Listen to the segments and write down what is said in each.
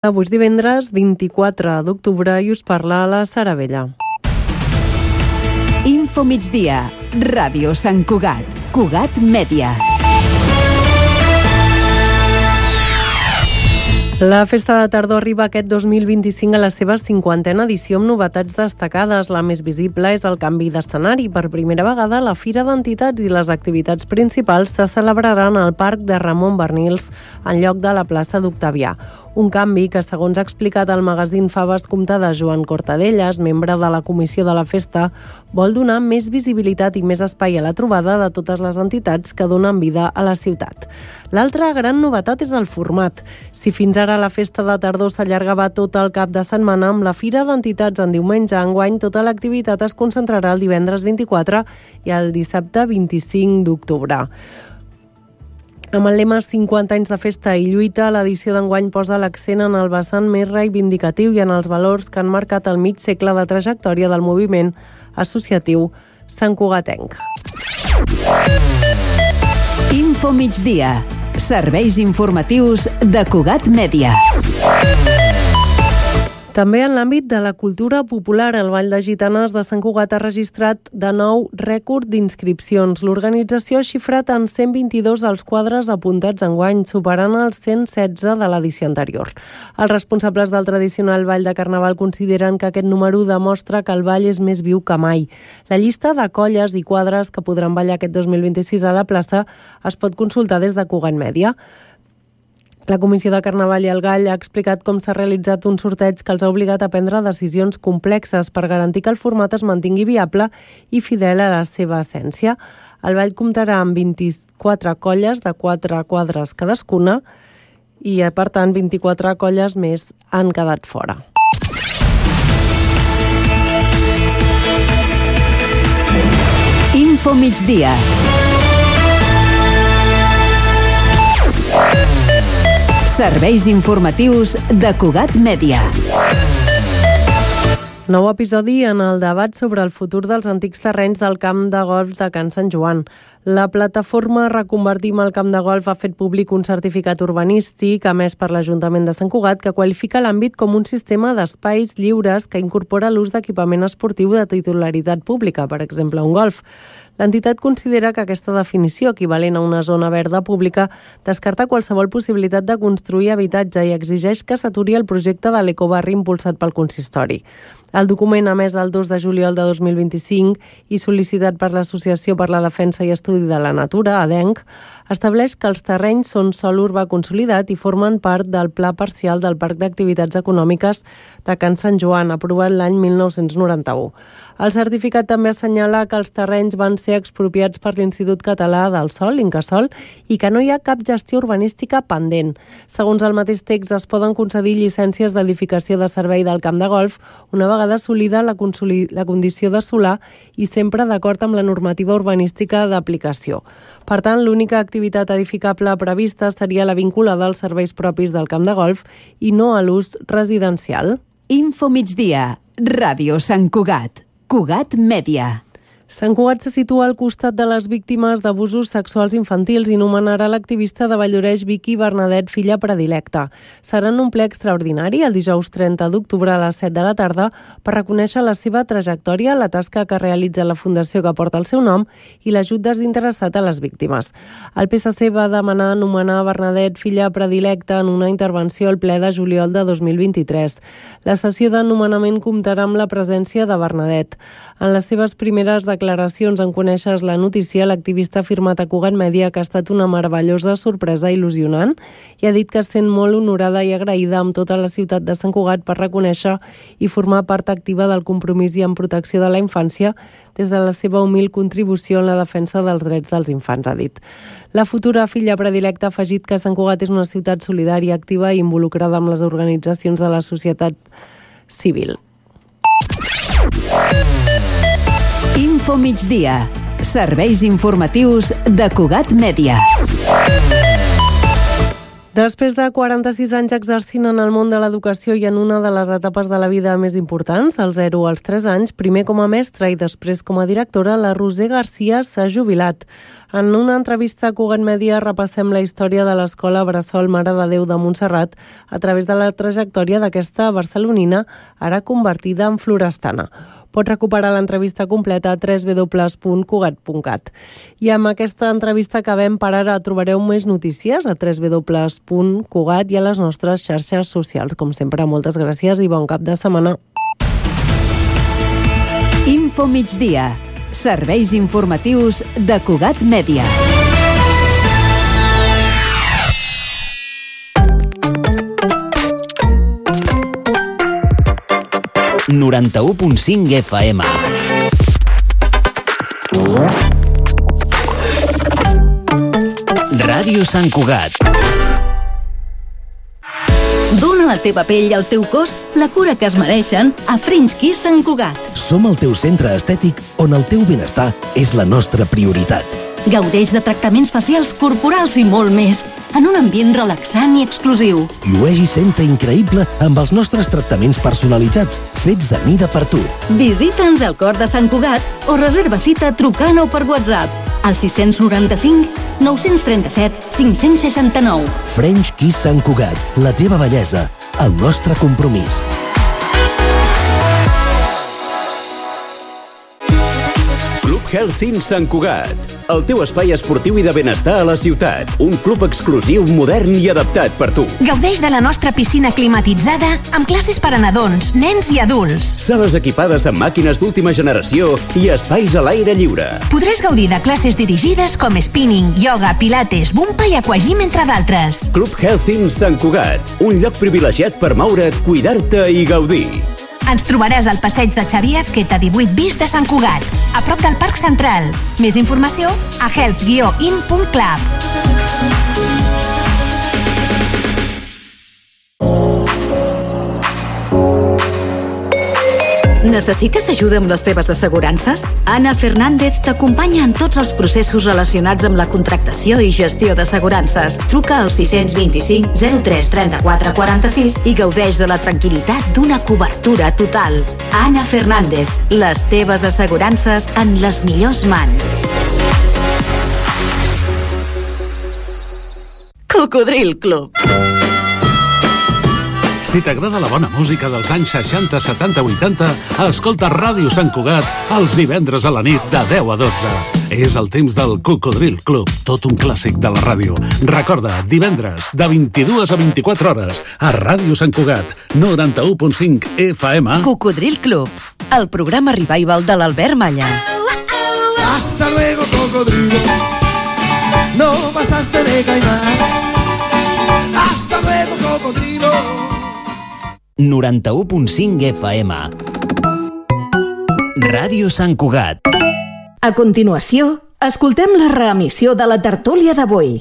Avui és divendres 24 d'octubre i us parla la Sara Vella. Info migdia, Ràdio Sant Cugat, Cugat Mèdia. La Festa de Tardor arriba aquest 2025 a la seva 50a edició amb novetats destacades. La més visible és el canvi d'escenari. Per primera vegada, la Fira d'Entitats i les activitats principals se celebraran al Parc de Ramon Barnils en lloc de la plaça d'Octavià. Un canvi que, segons ha explicat el magazín Faves Comptades Joan Cortadellas, membre de la comissió de la festa, vol donar més visibilitat i més espai a la trobada de totes les entitats que donen vida a la ciutat. L'altra gran novetat és el format. Si fins ara la Festa de Tardor s'allargava tot el cap de setmana, amb la Fira d'Entitats en diumenge, enguany tota l'activitat es concentrarà el divendres 24 i el dissabte 25 d'octubre. Amb el lema 50 anys de festa i lluita, l'edició d'enguany posa l'accent en el vessant més reivindicatiu i en els valors que han marcat el mig segle de trajectòria del moviment associatiu santcugatenc. Info migdia, serveis informatius de Cugat Mèdia. També en l'àmbit de la cultura popular, el Ball de Gitanes de Sant Cugat ha registrat de nou rècord d'inscripcions. L'organització ha xifrat en 122 els quadres apuntats enguany, superant els 116 de l'edició anterior. Els responsables del tradicional Ball de Carnaval consideren que aquest número demostra que el ball és més viu que mai. La llista de colles i quadres que podran ballar aquest 2026 a la plaça es pot consultar des de Cugat Mèdia. La Comissió de Carnaval i el Gall ha explicat com s'ha realitzat un sorteig que els ha obligat a prendre decisions complexes per garantir que el format es mantingui viable i fidel a la seva essència. El ball comptarà amb 24 colles de 4 quadres cadascuna i, per tant, 24 colles més han quedat fora. Info migdia. Serveis informatius de Cugat Mèdia. Nou episodi en el debat sobre el futur dels antics terrenys del camp de golf de Can Sant Joan. La plataforma Reconvertim el camp de golf ha fet públic un certificat urbanístic emès per l'Ajuntament de Sant Cugat que qualifica l'àmbit com un sistema d'espais lliures que incorpora l'ús d'equipament esportiu de titularitat pública, per exemple, un golf. L'entitat considera que aquesta definició, equivalent a una zona verda pública, descarta qualsevol possibilitat de construir habitatge i exigeix que s'aturi el projecte de l'ecobarri impulsat pel consistori. El document emès el 2 de juliol de 2025 i sol·licitat per l'Associació per la Defensa i Estudi de la Natura, ADENC, estableix que els terrenys són sòl urbà consolidat i formen part del Pla Parcial del Parc d'Activitats Econòmiques de Can Sant Joan, aprovat l'any 1991. El certificat també assenyala que els terrenys van ser expropiats per l'Institut Català del Sòl, Incasòl, i que no hi ha cap gestió urbanística pendent. Segons el mateix text, es poden concedir llicències d'edificació de servei del camp de golf una vegada assolida la condició de solar i sempre d'acord amb la normativa urbanística d'aplicació. Per tant, l'única activitat edificable prevista seria la vinculada als serveis propis del camp de golf i no a l'ús residencial. Info migdia, Ràdio Sant Cugat, Cugat Mèdia. Sant Cugat se situa al costat de les víctimes d'abusos sexuals infantils i nomenarà l'activista de Valldoreix Vicky Bernadet filla predilecta. Serà en un ple extraordinari el dijous 30 d'octubre a les 7 de la tarda per reconèixer la seva trajectòria, la tasca que realitza la fundació que porta el seu nom i l'ajut desinteressat a les víctimes. El PSC va demanar nomenar Bernadet filla predilecta en una intervenció al ple de juliol de 2023. La sessió de nomenament comptarà amb la presència de Bernadet. En les seves primeres declaracions en conèixer la notícia, l'activista ha afirmat a Cugat Mèdia que ha estat una meravellosa sorpresa il·lusionant i ha dit que es sent molt honorada i agraïda amb tota la ciutat de Sant Cugat per reconèixer i formar part activa del compromís i en protecció de la infància des de la seva humil contribució en la defensa dels drets dels infants, ha dit. La futura filla predilecta ha afegit que Sant Cugat és una ciutat solidària, activa i involucrada amb les organitzacions de la societat civil. Info migdia, serveis informatius de Cugat Mèdia. Després de 46 anys exercint en el món de l'educació i en una de les etapes de la vida més importants, dels 0 als 3 anys, primer com a mestra i després com a directora, la Roser Garcia s'ha jubilat. En una entrevista a Cugat Mèdia repassem la història de l'escola Bressol Mare de Déu de Montserrat a través de la trajectòria d'aquesta barcelonina, ara convertida en florestana. Pots recuperar l'entrevista completa a www.cugat.cat. I amb aquesta entrevista acabem. Per ara trobareu més notícies a www.cugat i a les nostres xarxes socials. Com sempre, moltes gràcies i bon cap de setmana. Info migdia. Serveis informatius de Cugat Mèdia. ...91.5 FM. Ràdio Sant Cugat. Dóna a la teva pell i al teu cos la cura que es mereixen a French Kiss Sant Cugat. Som el teu centre estètic on el teu benestar és la nostra prioritat. Gaudeix de tractaments facials, corporals i molt més, en un ambient relaxant i exclusiu. Llueix i senta increïble amb els nostres tractaments personalitzats, fets a mida per tu. Visita'ns al cor de Sant Cugat o reserva cita trucant o per WhatsApp al 695 937 569. French Kiss Sant Cugat, la teva bellesa, el nostre compromís. Club Health Sant Cugat, el teu espai esportiu i de benestar a la ciutat. Un club exclusiu, modern i adaptat per tu. Gaudeix de la nostra piscina climatitzada amb classes per a nadons, nens i adults. Sales equipades amb màquines d'última generació i espais a l'aire lliure. Podràs gaudir de classes dirigides com spinning, yoga, pilates, bumpa i aquagym, entre d'altres. Club Health Sant Cugat, un lloc privilegiat per moure't, cuidar-te i gaudir. Ens trobaràs al passeig de Xavier Azqueta 18 bis de Sant Cugat, a prop del Parc Central. Més informació a health-in.club. Necessites ajuda amb les teves assegurances? Anna Fernández t'acompanya en tots els processos relacionats amb la contractació i gestió d'assegurances. Truca al 625 03 34 46 i gaudeix de la tranquil·litat d'una cobertura total. Anna Fernández, les teves assegurances en les millors mans. Cocodril Club. Si t'agrada la bona música dels anys 60, 70, 80, escolta Ràdio Sant Cugat els divendres a la nit de 10 a 12. És el temps del Cocodril Club, tot un clàssic de la ràdio. Recorda, divendres, de 22 a 24 hores, a Ràdio Sant Cugat, 91.5 FM. Cocodril Club, el programa revival de l'Albert Malla. Hasta luego, cocodrilo. No pasaste de caimán. Hasta luego, cocodrilo. 91.5 FM. Ràdio Sant Cugat. A continuació, escoltem la reemissió de la tertúlia d'avui.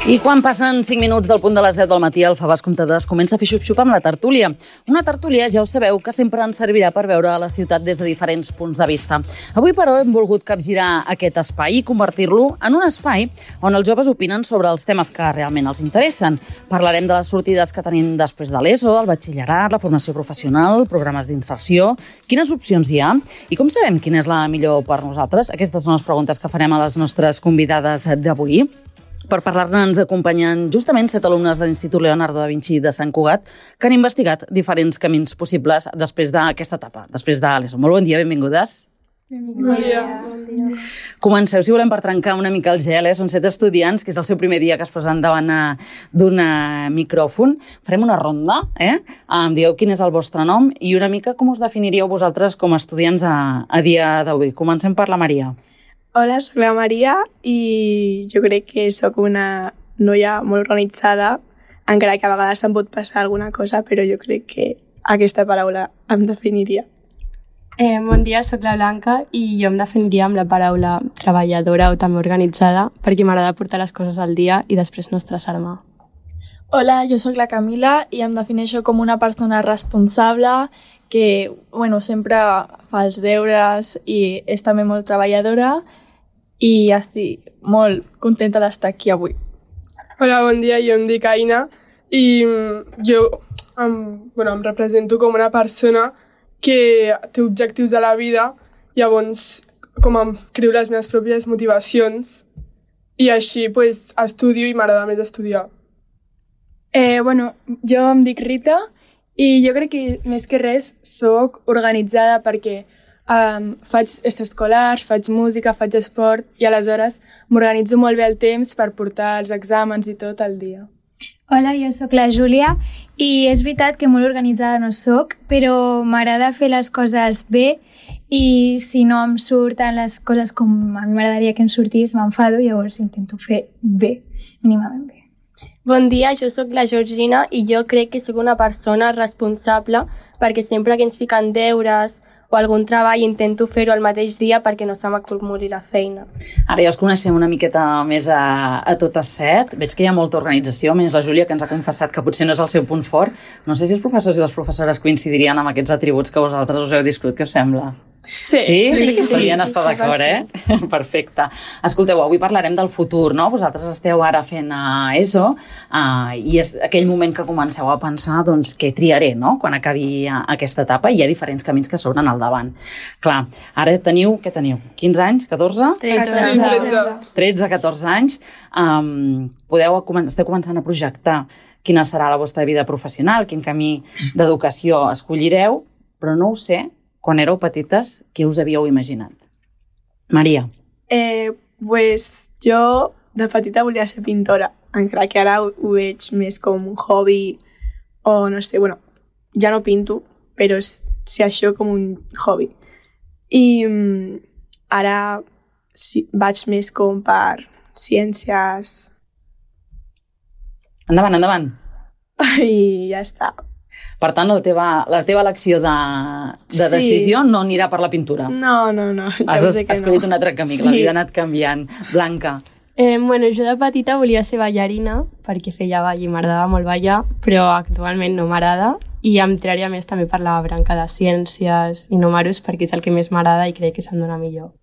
I quan passen 5 minuts del punt de les 10 del matí, el Fabàs Comptadors comença a fer xup-xup amb la tertúlia. Una tertúlia, ja ho sabeu, que sempre ens servirà per veure la ciutat des de diferents punts de vista. Avui, però, hem volgut capgirar aquest espai i convertir-lo en un espai on els joves opinen sobre els temes que realment els interessen. Parlarem de les sortides que tenim després de l'ESO, el batxillerat, la formació professional, programes d'inserció, quines opcions hi ha i com sabem quina és la millor per nosaltres. Aquestes són les preguntes que farem a les nostres convidades d'avui. Per parlar-ne ens acompanyen justament 7 alumnes de l'Institut Leonardo da Vinci de Sant Cugat que han investigat diferents camins possibles després d'aquesta etapa, després de l'ESO. Molt bon dia, benvingudes. Bon dia. Comenceu, si volem, per trencar una mica el gel. Són 7 estudiants, que és el seu primer dia que es posen davant d'un micròfon. Farem una ronda, em digueu quin és el vostre nom i una mica com us definiríeu vosaltres com a estudiants a dia d'avui. Comencem per la Maria. Hola, soc la Maria i jo crec que sóc una noia molt organitzada, encara que a vegades em pot passar alguna cosa, però jo crec que aquesta paraula em definiria. Bon dia, sóc la Blanca i jo em definiria amb la paraula treballadora o també organitzada perquè m'agrada portar les coses al dia i després no estressar-me. Hola, jo sóc la Camila i em defineixo com una persona responsable que sempre fa els deures i és també molt treballadora i estic molt contenta d'estar aquí avui. Hola, bon dia, jo em dic Aina i jo em represento com una persona que té objectius a la vida, llavors com em creo les meves pròpies motivacions i així estudio i m'agrada més estudiar. Jo em dic Rita i jo crec que més que res soc organitzada perquè faig extraescolars, faig música, faig esport i aleshores m'organitzo molt bé el temps per portar els exàmens i tot el dia. Hola, jo sóc la Júlia i és veritat que molt organitzada no soc, però m'agrada fer les coses bé i si no em surten les coses com a mi m'agradaria que em sortís, m'enfado, llavors intento fer bé, mínimament bé. Bon dia, jo sóc la Georgina i jo crec que sóc una persona responsable perquè sempre que ens fiquen deures o algun treball intento fer-ho al mateix dia perquè no se m'acumuli la feina. Ara ja us coneixem una miqueta més a totes set. Veig que hi ha molta organització, menys la Júlia, que ens ha confessat que potser no és el seu punt fort. No sé si els professors i les professores coincidirien amb aquests atributs que vosaltres us heu discutit. Què us sembla? Sí? Podrien estar d'acord, Perfecte. Escolteu, avui parlarem del futur, no? Vosaltres esteu ara fent ESO i és aquell moment que comenceu a pensar doncs, què triaré, no?, quan acabi aquesta etapa, i hi ha diferents camins que s'obren al davant. Clar, ara teniu, què teniu? 15 anys? 14? 13, 14 anys. Esteu començant a projectar quina serà la vostra vida professional, quin camí d'educació escollireu, però no ho sé, quan éreu petites, què us havíeu imaginat? Maria. Jo de petita volia ser pintora, encara que ara ho veig més com un hobby o no sé, ja no pinto, però si això com un hobby. I ara vaig més com per ciències. Endavant. I ja està. Per tant, la teva elecció de decisió no anirà per la pintura. No. Has escollit un altre camí, la vida ha anat canviant. Blanca. Jo de petita volia ser ballarina perquè feia ball i m'agradava molt ballar, però actualment no m'agrada i em tiraria més també per la branca de ciències i números perquè és el que més m'agrada i crec que se'm dona millor.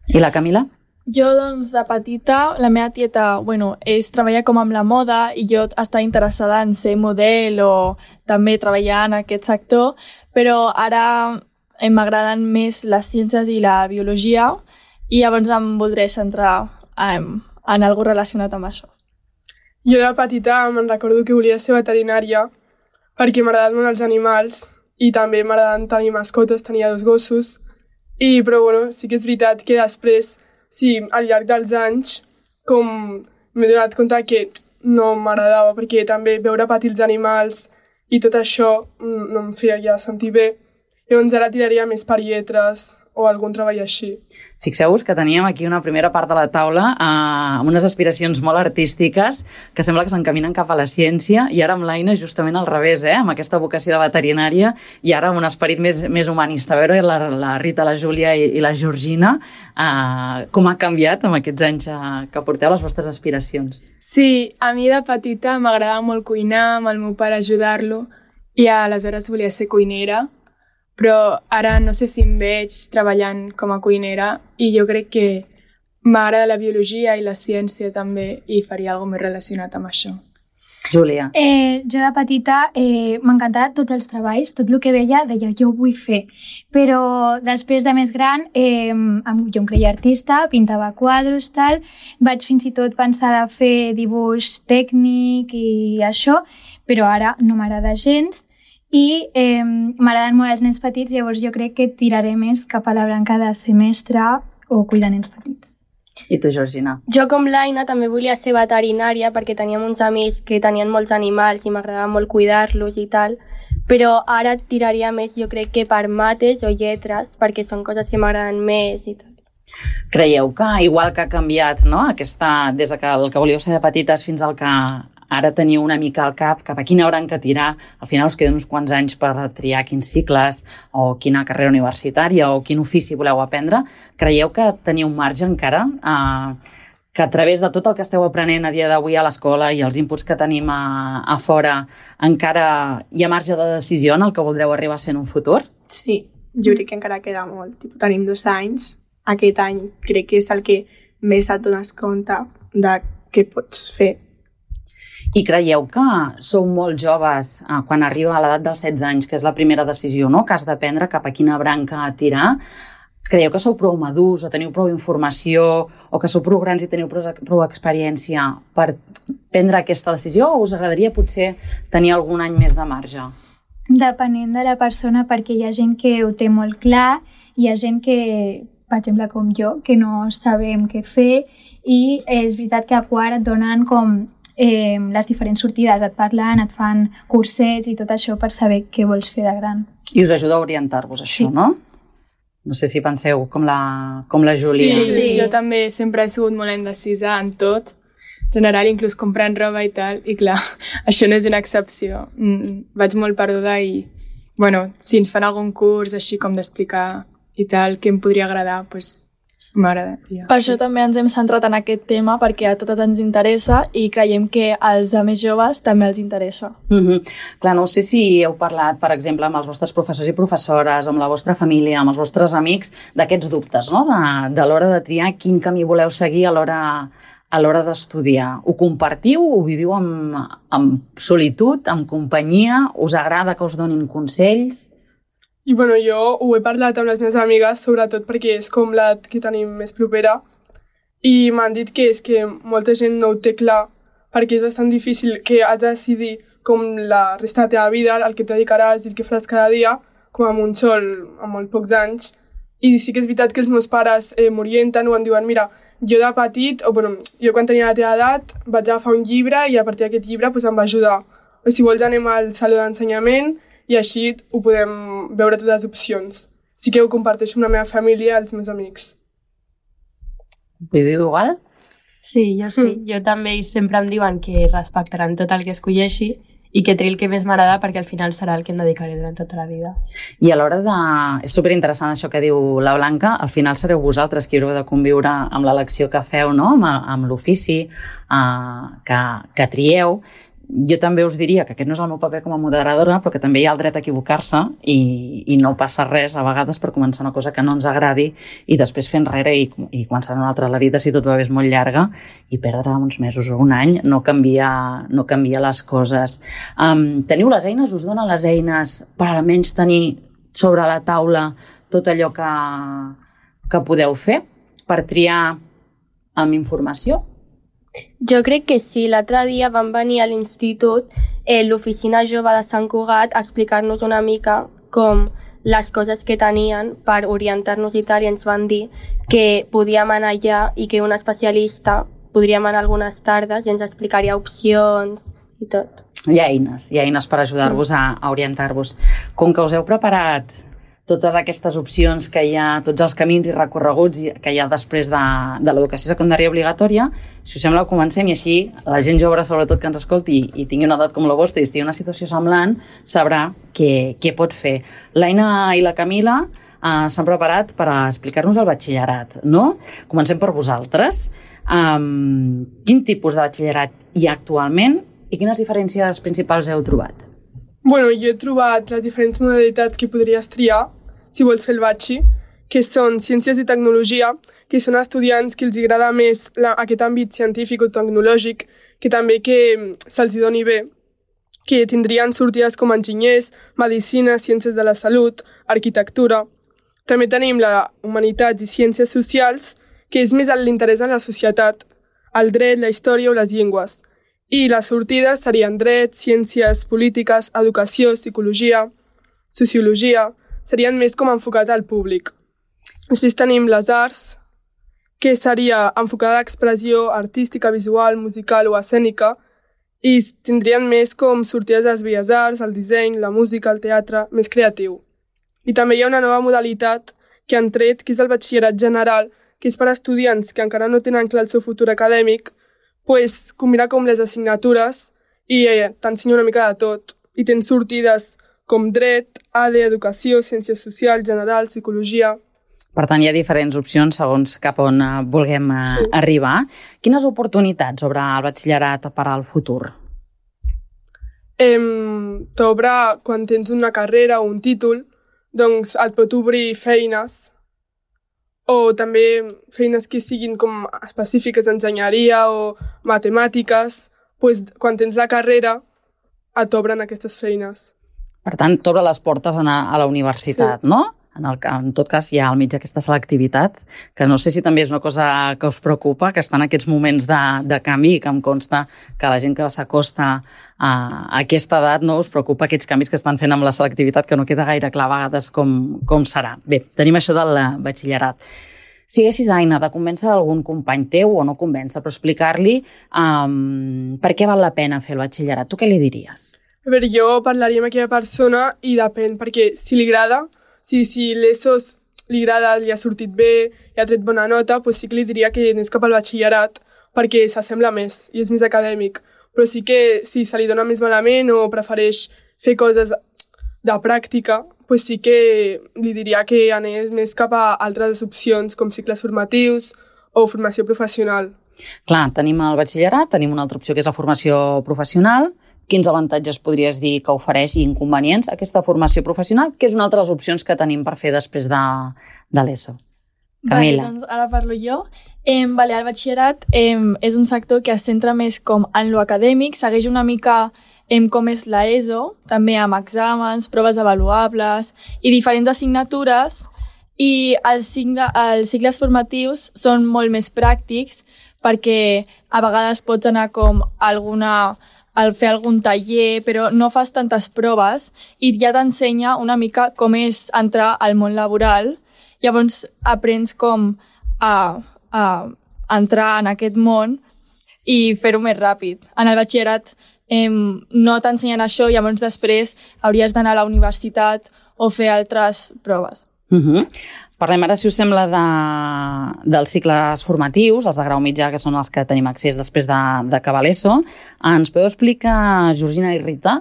I la Camila? Jo, de petita, la meva tieta, treballa com amb la moda i jo estava interessada en ser model o també treballar en aquest sector, però ara m'agraden més les ciències i la biologia i llavors em voldré centrar en alguna cosa relacionat amb això. Jo de petita me'n recordo que volia ser veterinària perquè m'agraden molt els animals i també m'agraden tenir mascotes, tenia 2 gossos, però sí que és veritat que després al llarg dels anys m'he donat compte que no m'agradava perquè també veure patir els animals i tot això no em feia sentir bé. Llavors ara tiraria més per lletres o algun treball així. Fixeu-vos que teníem aquí una primera part de la taula amb unes aspiracions molt artístiques que sembla que s'encaminen cap a la ciència i ara amb l'Aina justament al revés, amb aquesta vocació de veterinària i ara amb un esperit més humanista. A veure, la Rita, la Júlia i la Georgina, com ha canviat amb aquests anys que porteu les vostres aspiracions? Sí, a mi de petita m'agradava molt cuinar, amb el meu pare ajudar-lo i aleshores volia ser cuinera, però ara no sé si em veig treballant com a cuinera i jo crec que m'agrada la biologia i la ciència també i faria alguna cosa més relacionat amb això. Júlia. Jo de petita m'encantava tots els treballs, tot el que veia deia jo ho vull fer, però després de més gran jo em creia artista, pintava quadros, tal, vaig fins i tot pensar de fer dibuix tècnic i això, però ara no m'agrada gens. I m'agraden molt els nens petits, llavors jo crec que tiraré més cap a la branca de ser mestra o cuidar nens petits. I tu, Georgina? Jo, com l'Aina, també volia ser veterinària perquè teníem uns amics que tenien molts animals i m'agradava molt cuidar-los i tal, però ara tiraria més, jo crec que per mates o lletres, perquè són coses que m'agraden més i tot. Creieu que, igual que ha canviat, no?, des que el que volíeu ser de petites fins al que ara teniu una mica al cap cap a quina branca tirar, al final us queden uns quants anys per triar quins cicles o quina carrera universitària o quin ofici voleu aprendre, creieu que teniu un marge encara que a través de tot el que esteu aprenent a dia d'avui a l'escola i els inputs que tenim a fora encara hi ha marge de decisió en el que voldreu arribar a ser en un futur? Sí, jo crec que encara queda molt. Tenim 2 anys, aquest any crec que és el que més et dones compte de què pots fer. I creieu que sou molt joves quan arriba a l'edat dels 16 anys, que és la primera decisió, no?, que has de prendre cap a quina branca tirar? Creieu que sou prou madurs o teniu prou informació o que sou prou grans i teniu prou experiència per prendre aquesta decisió o us agradaria potser tenir algun any més de marge? Depenent de la persona, perquè hi ha gent que ho té molt clar, hi ha gent que, per exemple, com jo, que no sabem què fer i és veritat que a quart et donen com les diferents sortides, et parlen, et fan cursets i tot això per saber què vols fer de gran. I us ajuda a orientar-vos això, sí. No? No sé si penseu com la Júlia. Sí, jo també sempre he sigut molt indecisa en tot, en general, inclús comprant roba i tal, i clar, això no és una excepció. Vaig molt perduda i, bueno, si ens fan algun curs així com d'explicar i tal, que em podria agradar, doncs m'agradaria. Per això també ens hem centrat en aquest tema, perquè a totes ens interessa i creiem que als més joves també els interessa. Clar, no sé si heu parlat, per exemple, amb els vostres professors i professores, amb la vostra família, amb els vostres amics, d'aquests dubtes, no?, de l'hora de triar quin camí voleu seguir a l'hora d'estudiar. Ho compartiu? Ho viviu amb solitud, amb companyia? Us agrada que us donin consells? I bueno, jo ho he parlat amb les meves amigues, sobretot perquè és com l'edat que tenim més propera, i m'han dit que és que molta gent no ho té clar, perquè és bastant difícil que has de decidir com la resta de la teva vida, el que et dedicaràs i el que faràs cada dia, com amb un sol, amb molt pocs anys. I sí que és veritat que els meus pares m'orienten o em diuen, mira, jo de petit, o bueno, jo quan tenia la teva edat, vaig agafar un llibre i a partir d'aquest llibre pues, em va ajudar. O si vols anem al saló d'ensenyament, i així ho podem veure totes les opcions. Sí que ho comparteixo amb la meva família i els meus amics. Viviu igual? Sí, jo sí. Jo també sempre em diuen que respectaran tot el que escolleixi i que triï el que més m'agrada perquè al final serà el que em dedicaré durant tota la vida. I a l'hora de... És superinteressant això que diu la Blanca, al final sereu vosaltres qui haureu de conviure amb l'elecció que feu, no?, amb l'ofici que trieu. Jo també us diria que aquest no és el meu paper com a moderadora, però que també hi ha el dret a equivocar-se i no passa res a vegades per començar una cosa que no ens agradi i després fer enrere i començar una altra. La vida, si tot va bé, és molt llarga i perdre uns mesos o un any no canvia les coses. Teniu les eines? Us donen les eines per almenys tenir sobre la taula tot allò que podeu fer per triar amb informació? Jo crec que sí. L'altre dia van venir a l'institut l'oficina jove de Sant Cugat a explicar-nos una mica com les coses que tenien per orientar-nos i tal, i ens van dir que podíem anar allà i que un especialista podríem anar algunes tardes i ens explicaria opcions i tot. Hi ha eines per ajudar-vos a orientar-vos. Com que us heu preparat totes aquestes opcions que hi ha, tots els camins i recorreguts que hi ha després de l'educació secundària obligatòria, si us sembla, comencem i així la gent jove, sobretot que ens escolti i tingui una edat com la vostra i estigui en una situació semblant, sabrà què pot fer. L'Aina i la Camila s'han preparat per explicar-nos el batxillerat, no? Comencem per vosaltres. Quin tipus de batxillerat hi ha actualment i quines diferències principals heu trobat? Bueno, jo he trobat les diferents modalitats que podries triar si vols fer el batxi, que són Ciències i Tecnologia, que són estudiants que els agrada més aquest àmbit científic o tecnològic, que també que se'ls doni bé, que tindrien sortides com enginyers, medicina, ciències de la salut, arquitectura. També tenim la Humanitats i Ciències Socials, que és més l'interès en la societat, el dret, la història o les llengües. I les sortides serien dret, ciències polítiques, educació, psicologia, sociologia, serien més com enfocat al públic. Després tenim les arts, que seria enfocada a l'expressió artística, visual, musical o escènica, i tindrien més com sortides de les belles arts, el disseny, la música, el teatre, més creatiu. I també hi ha una nova modalitat que han tret, que és el batxillerat general, que és per a estudiants que encara no tenen clar el seu futur acadèmic, pues, combinar com les assignatures i t'ensenya una mica de tot. I tens sortides com dret, ADE, educació, ciències socials, general, psicologia... Per tant, hi ha diferents opcions segons cap on vulguem arribar. Quines oportunitats obre el batxillerat per al futur? T'obre quan tens una carrera o un títol, doncs et pot obrir feines o també feines que siguin com específiques d'enginyeria o matemàtiques. Doncs quan tens la carrera et obren aquestes feines. Per tant, t'obre les portes a anar a la universitat, no? En tot cas, hi ha al mig aquesta selectivitat, que no sé si també és una cosa que us preocupa, que està en aquests moments de canvi i que em consta que la gent que s'acosta a aquesta edat no us preocupa aquests canvis que estan fent amb la selectivitat, que no queda gaire clar a vegades com serà. Bé, tenim això del batxillerat. Si haguessis, Aina, de convèncer algun company teu o no convèncer, però explicar-li per què val la pena fer el batxillerat, tu què li diries? A veure, jo parlaria amb aquella persona i depèn, perquè si li agrada, si l'ESO li agrada, li ha sortit bé, i ha tret bona nota, doncs sí que li diria que anés cap al batxillerat perquè s'assembla més i és més acadèmic. Però sí que si se li dona més malament o prefereix fer coses de pràctica, doncs sí que li diria que anés més cap a altres opcions com cicles formatius o formació professional. Clar, tenim el batxillerat, tenim una altra opció que és la formació professional. Quins avantatges podries dir que ofereix i inconvenients aquesta formació professional, que és una altra de les opcions que tenim per fer després de l'ESO? Camila. Doncs ara parlo jo. El batxillerat és un sector que es centra més com en lo acadèmic, segueix una mica com és l'ESO, també amb exàmens, proves avaluables i diferents assignatures, i els cicles formatius són molt més pràctics perquè a vegades pots anar com al fer algun taller, però no fas tantes proves i ja t'ensenya una mica com és entrar al món laboral. Llavors aprens com a entrar en aquest món i fer-ho més ràpid. En el batxillerat no t'ensenyen això, llavors després hauries d'anar a la universitat o fer altres proves. Parlem ara, si us sembla, dels cicles formatius, els de grau mitjà, que són els que tenim accés després d'acabar l'ESO. Ens podeu explicar, Georgina i Rita,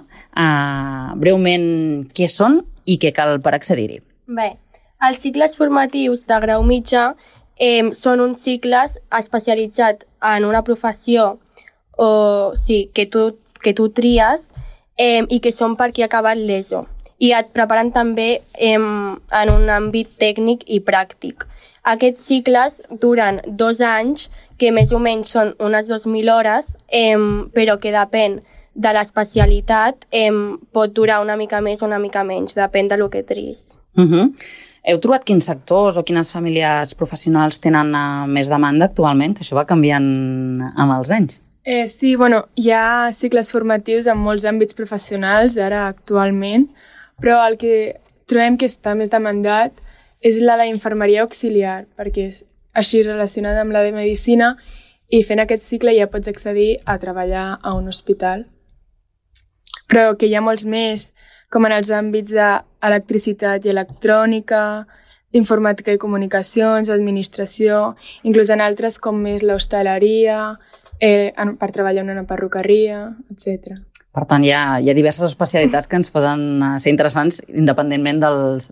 breument què són i què cal per accedir-hi? Bé, els cicles formatius de grau mitjà són uns cicles especialitzats en una professió que tu tries i que són per qui ha acabat l'ESO. I et preparen també en un àmbit tècnic i pràctic. Aquests cicles duren 2 anys, que més o menys són unes 2.000 hores, però que depèn de l'especialitat, pot durar una mica més o una mica menys, depèn del que tris. Heu trobat quins sectors o quines famílies professionals tenen més demanda actualment? Que això va canviant amb els anys. Sí, hi ha cicles formatius en molts àmbits professionals ara actualment, però el que trobem que està més demandat és la d'infermeria auxiliar, perquè és així relacionada amb la de medicina i fent aquest cicle ja pots accedir a treballar a un hospital. Però que hi ha molts més, com en els àmbits d'electricitat i electrònica, informàtica i comunicacions, administració, inclús en altres com més l'hostaleria, per treballar en una perruqueria, etc. Per tant, hi ha diverses especialitats que ens poden ser interessants independentment dels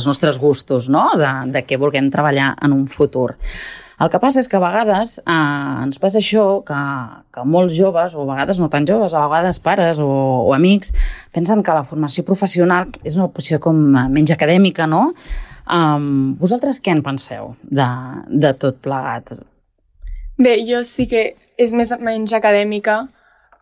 nostres gustos, no? De què vulguem treballar en un futur. El que passa és que a vegades ens passa això, que molts joves, o a vegades no tan joves, a vegades pares o amics, pensen que la formació professional és una opció com menys acadèmica, no? Vosaltres què en penseu de tot plegat? Bé, jo sí que és menys acadèmica,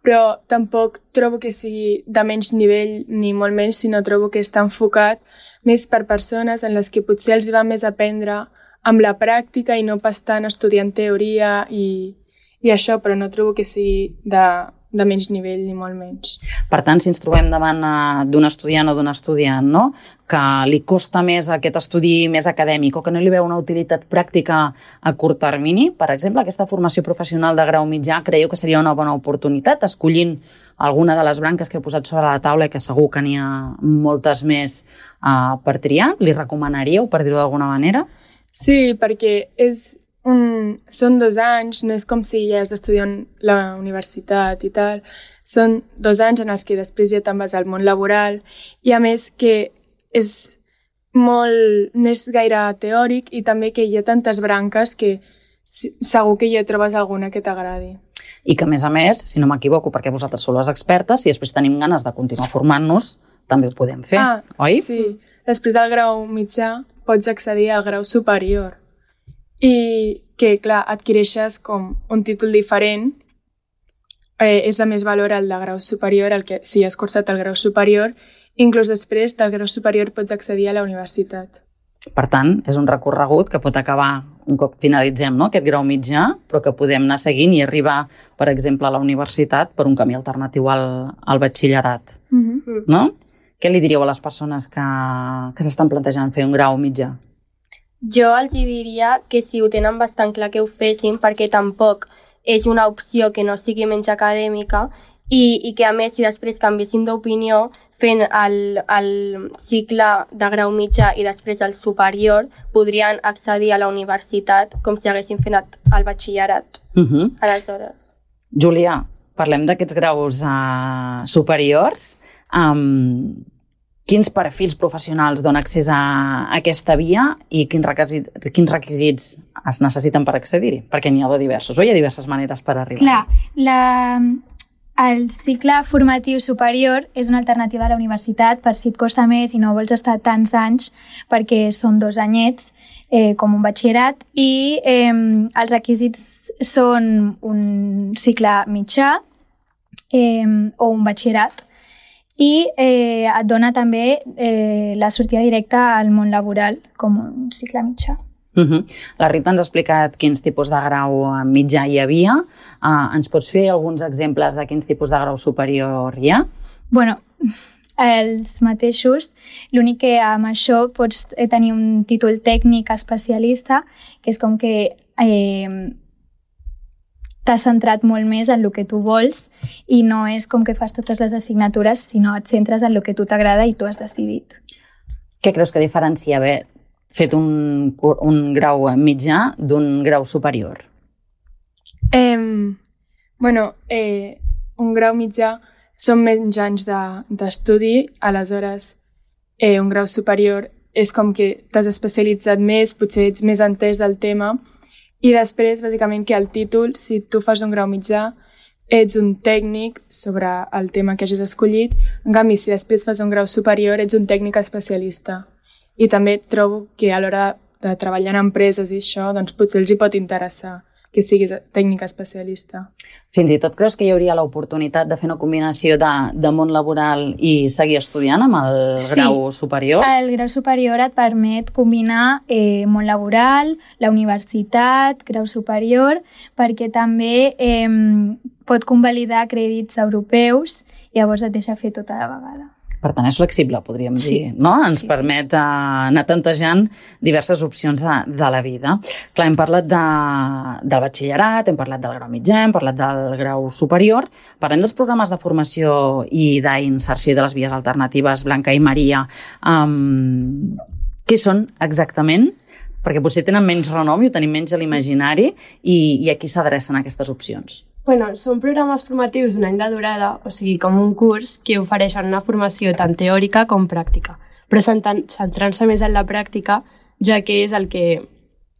però tampoc trobo que sigui de menys nivell ni molt menys, sinó trobo que està enfocat més per persones en les que potser els va més aprendre amb la pràctica i no pas tant estudiant teoria i això, però no trobo que sigui de menys nivell ni molt menys. Per tant, si ens trobem davant d'un estudiant o d'una estudiant, no?, que li costa més aquest estudi més acadèmic o que no li veu una utilitat pràctica a curt termini, per exemple, aquesta formació professional de grau mitjà, creieu que seria una bona oportunitat escollint alguna de les branques que he posat sobre la taula i que segur que n'hi ha moltes més per triar? Li recomanaríeu, per dir-ho d'alguna manera? Sí, perquè són 2 anys, no és com si ja has d'estudiar a la universitat i tal, són 2 anys en els que després ja te'n vas al món laboral i a més que no és gaire teòric i també que hi ha tantes branques que segur que ja trobes alguna que t'agradi. I que, a més, si no m'equivoco, perquè vosaltres sou les expertes, si després tenim ganes de continuar formant-nos, també ho podem fer, oi? Sí. Després del grau mitjà pots accedir al grau superior i que, clar, adquireixes com un títol diferent. És de més valor el de grau superior, el que si has cursat el grau superior, inclús després del grau superior pots accedir a la universitat. Per tant, és un recorregut que pot acabar un cop finalitzem aquest grau mitjà, però que podem anar seguint i arribar, per exemple, a la universitat per un camí alternatiu al batxillerat. No? Què li diríeu a les persones que s'estan plantejant fer un grau mitjà? Jo els diria que si ho tenen bastant clar que ho fessin, perquè tampoc és una opció que no sigui menys acadèmica i que, a més, si després canviessin d'opinió fent el cicle de grau mitjà i després el superior, podrien accedir a la universitat com si haguessin fet el batxillerat. Aleshores. Julià, parlem d'aquests graus superiors. Quins perfils professionals donen accés a aquesta via i quins requisits es necessiten per accedir-hi? Perquè n'hi ha de diversos, o hi ha diverses maneres per arribar? Clar, el cicle formatiu superior és una alternativa a la universitat per si et costa més i no vols estar tants anys perquè són 2 anyets com un batxillerat i els requisits són un cicle mitjà o un batxillerat i et dona també la sortida directa al món laboral com un cicle mitjà. La Rita ens ha explicat quins tipus de grau mitjà hi havia. Ens pots fer alguns exemples de quins tipus de grau superior hi ha? Bueno, els mateixos. L'únic que amb això pots tenir un títol tècnic especialista, que és com que t'has centrat molt més en el que tu vols i no és com que fas totes les assignatures, sinó et centres en el que tu t'agrada i tu has decidit. Què creus que diferencia haver fet un grau mitjà d'un grau superior? Un grau mitjà són menys anys d'estudi, aleshores un grau superior és com que t'has especialitzat més, potser ets més entès del tema i després, bàsicament, que el títol, si tu fas un grau mitjà, ets un tècnic sobre el tema que hagis escollit, en canvi, si després fas un grau superior, ets un tècnic especialista. I també trobo que a l'hora de treballar en empreses i això, doncs potser els hi pot interessar que siguis tècnic especialista. Fins i tot creus que hi hauria l'oportunitat de fer una combinació de món laboral i seguir estudiant amb el grau superior? Sí, el grau superior et permet combinar món laboral, la universitat, grau superior, perquè també pot convalidar crèdits europeus i llavors et deixa fer tota la vegada. Per tant, és flexible, podríem dir, no? Ens permet anar tantejant diverses opcions de la vida. Clar, hem parlat del batxillerat, hem parlat del grau mitjà, hem parlat del grau superior. Parlem dels programes de formació i d'inserció de les vies alternatives, Blanca i Maria. Què són exactament? Perquè potser tenen menys renom i ho tenim menys a l'imaginari i a qui s'adrecen aquestes opcions? Són programes formatius d'un any de durada, o sigui, com un curs que ofereixen una formació tant teòrica com pràctica, però centrant-se més en la pràctica, ja que és el que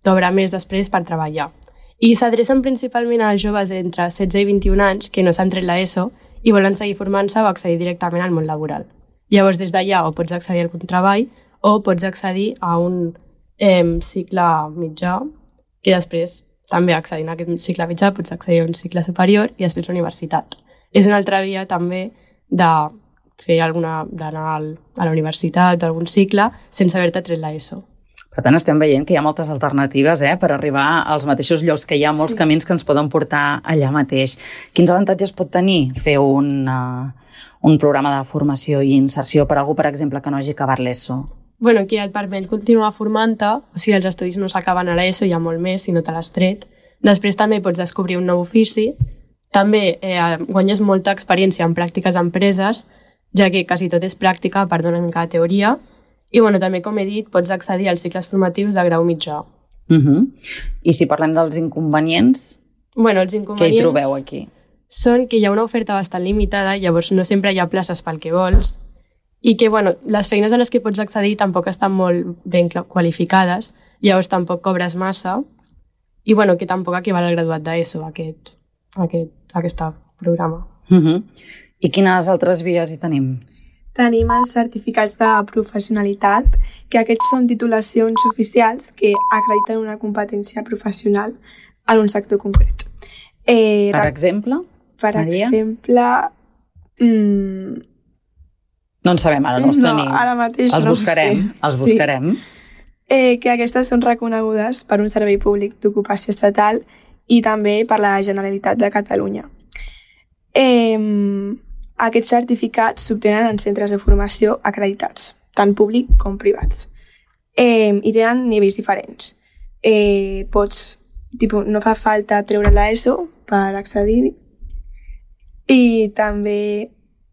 t'obre més després per treballar. I s'adrecen principalment als joves entre 16 i 21 anys que no s'han tret l'ESO i volen seguir formant-se o accedir directament al món laboral. Llavors, des d'allà o pots accedir al treball o pots accedir a un cicle mitjà que després també accedint a aquest cicle mitjà pots accedir a un cicle superior i després a la universitat. És una altra via també d'anar a la universitat o algun cicle sense haver-te tret l'ESO. Per tant, estem veient que hi ha moltes alternatives per arribar als mateixos llocs, que hi ha molts camins que ens poden portar allà mateix. Quins avantatges pot tenir fer un programa de formació i inserció per a algú, per exemple, que no hagi acabat l'ESO? Que et permet continuar formant-te, o sigui, els estudis no s'acaben a l'ESO, hi ha molt més si no te l'has tret. Després també pots descobrir un nou ofici, també guanyes molta experiència en pràctiques a empreses, ja que quasi tot és pràctica, a part d'una mica de teoria, i també, com he dit, pots accedir als cicles formatius de grau mitjà. I si parlem dels inconvenients, què hi trobeu aquí? són que hi ha una oferta bastant limitada, llavors no sempre hi ha places pel que vols, i que les feines a les que pots accedir tampoc estan molt ben qualificades, llavors tampoc cobres massa, i que tampoc equival al graduat d'ESO, aquest programa. I quines altres vies hi tenim? Tenim els certificats de professionalitat, que aquests són titulacions oficials que acrediten una competència professional en un sector concret. Per exemple? Per exemple... No en sabem, ara no els tenim. No, ara mateix els buscarem. Els buscarem. Que aquestes són reconegudes per un servei públic d'ocupació estatal i també per la Generalitat de Catalunya. Aquests certificats s'obtenen en centres de formació acreditats, tant públic com privats. I tenen nivells diferents. No fa falta treure l'ESO per accedir. I també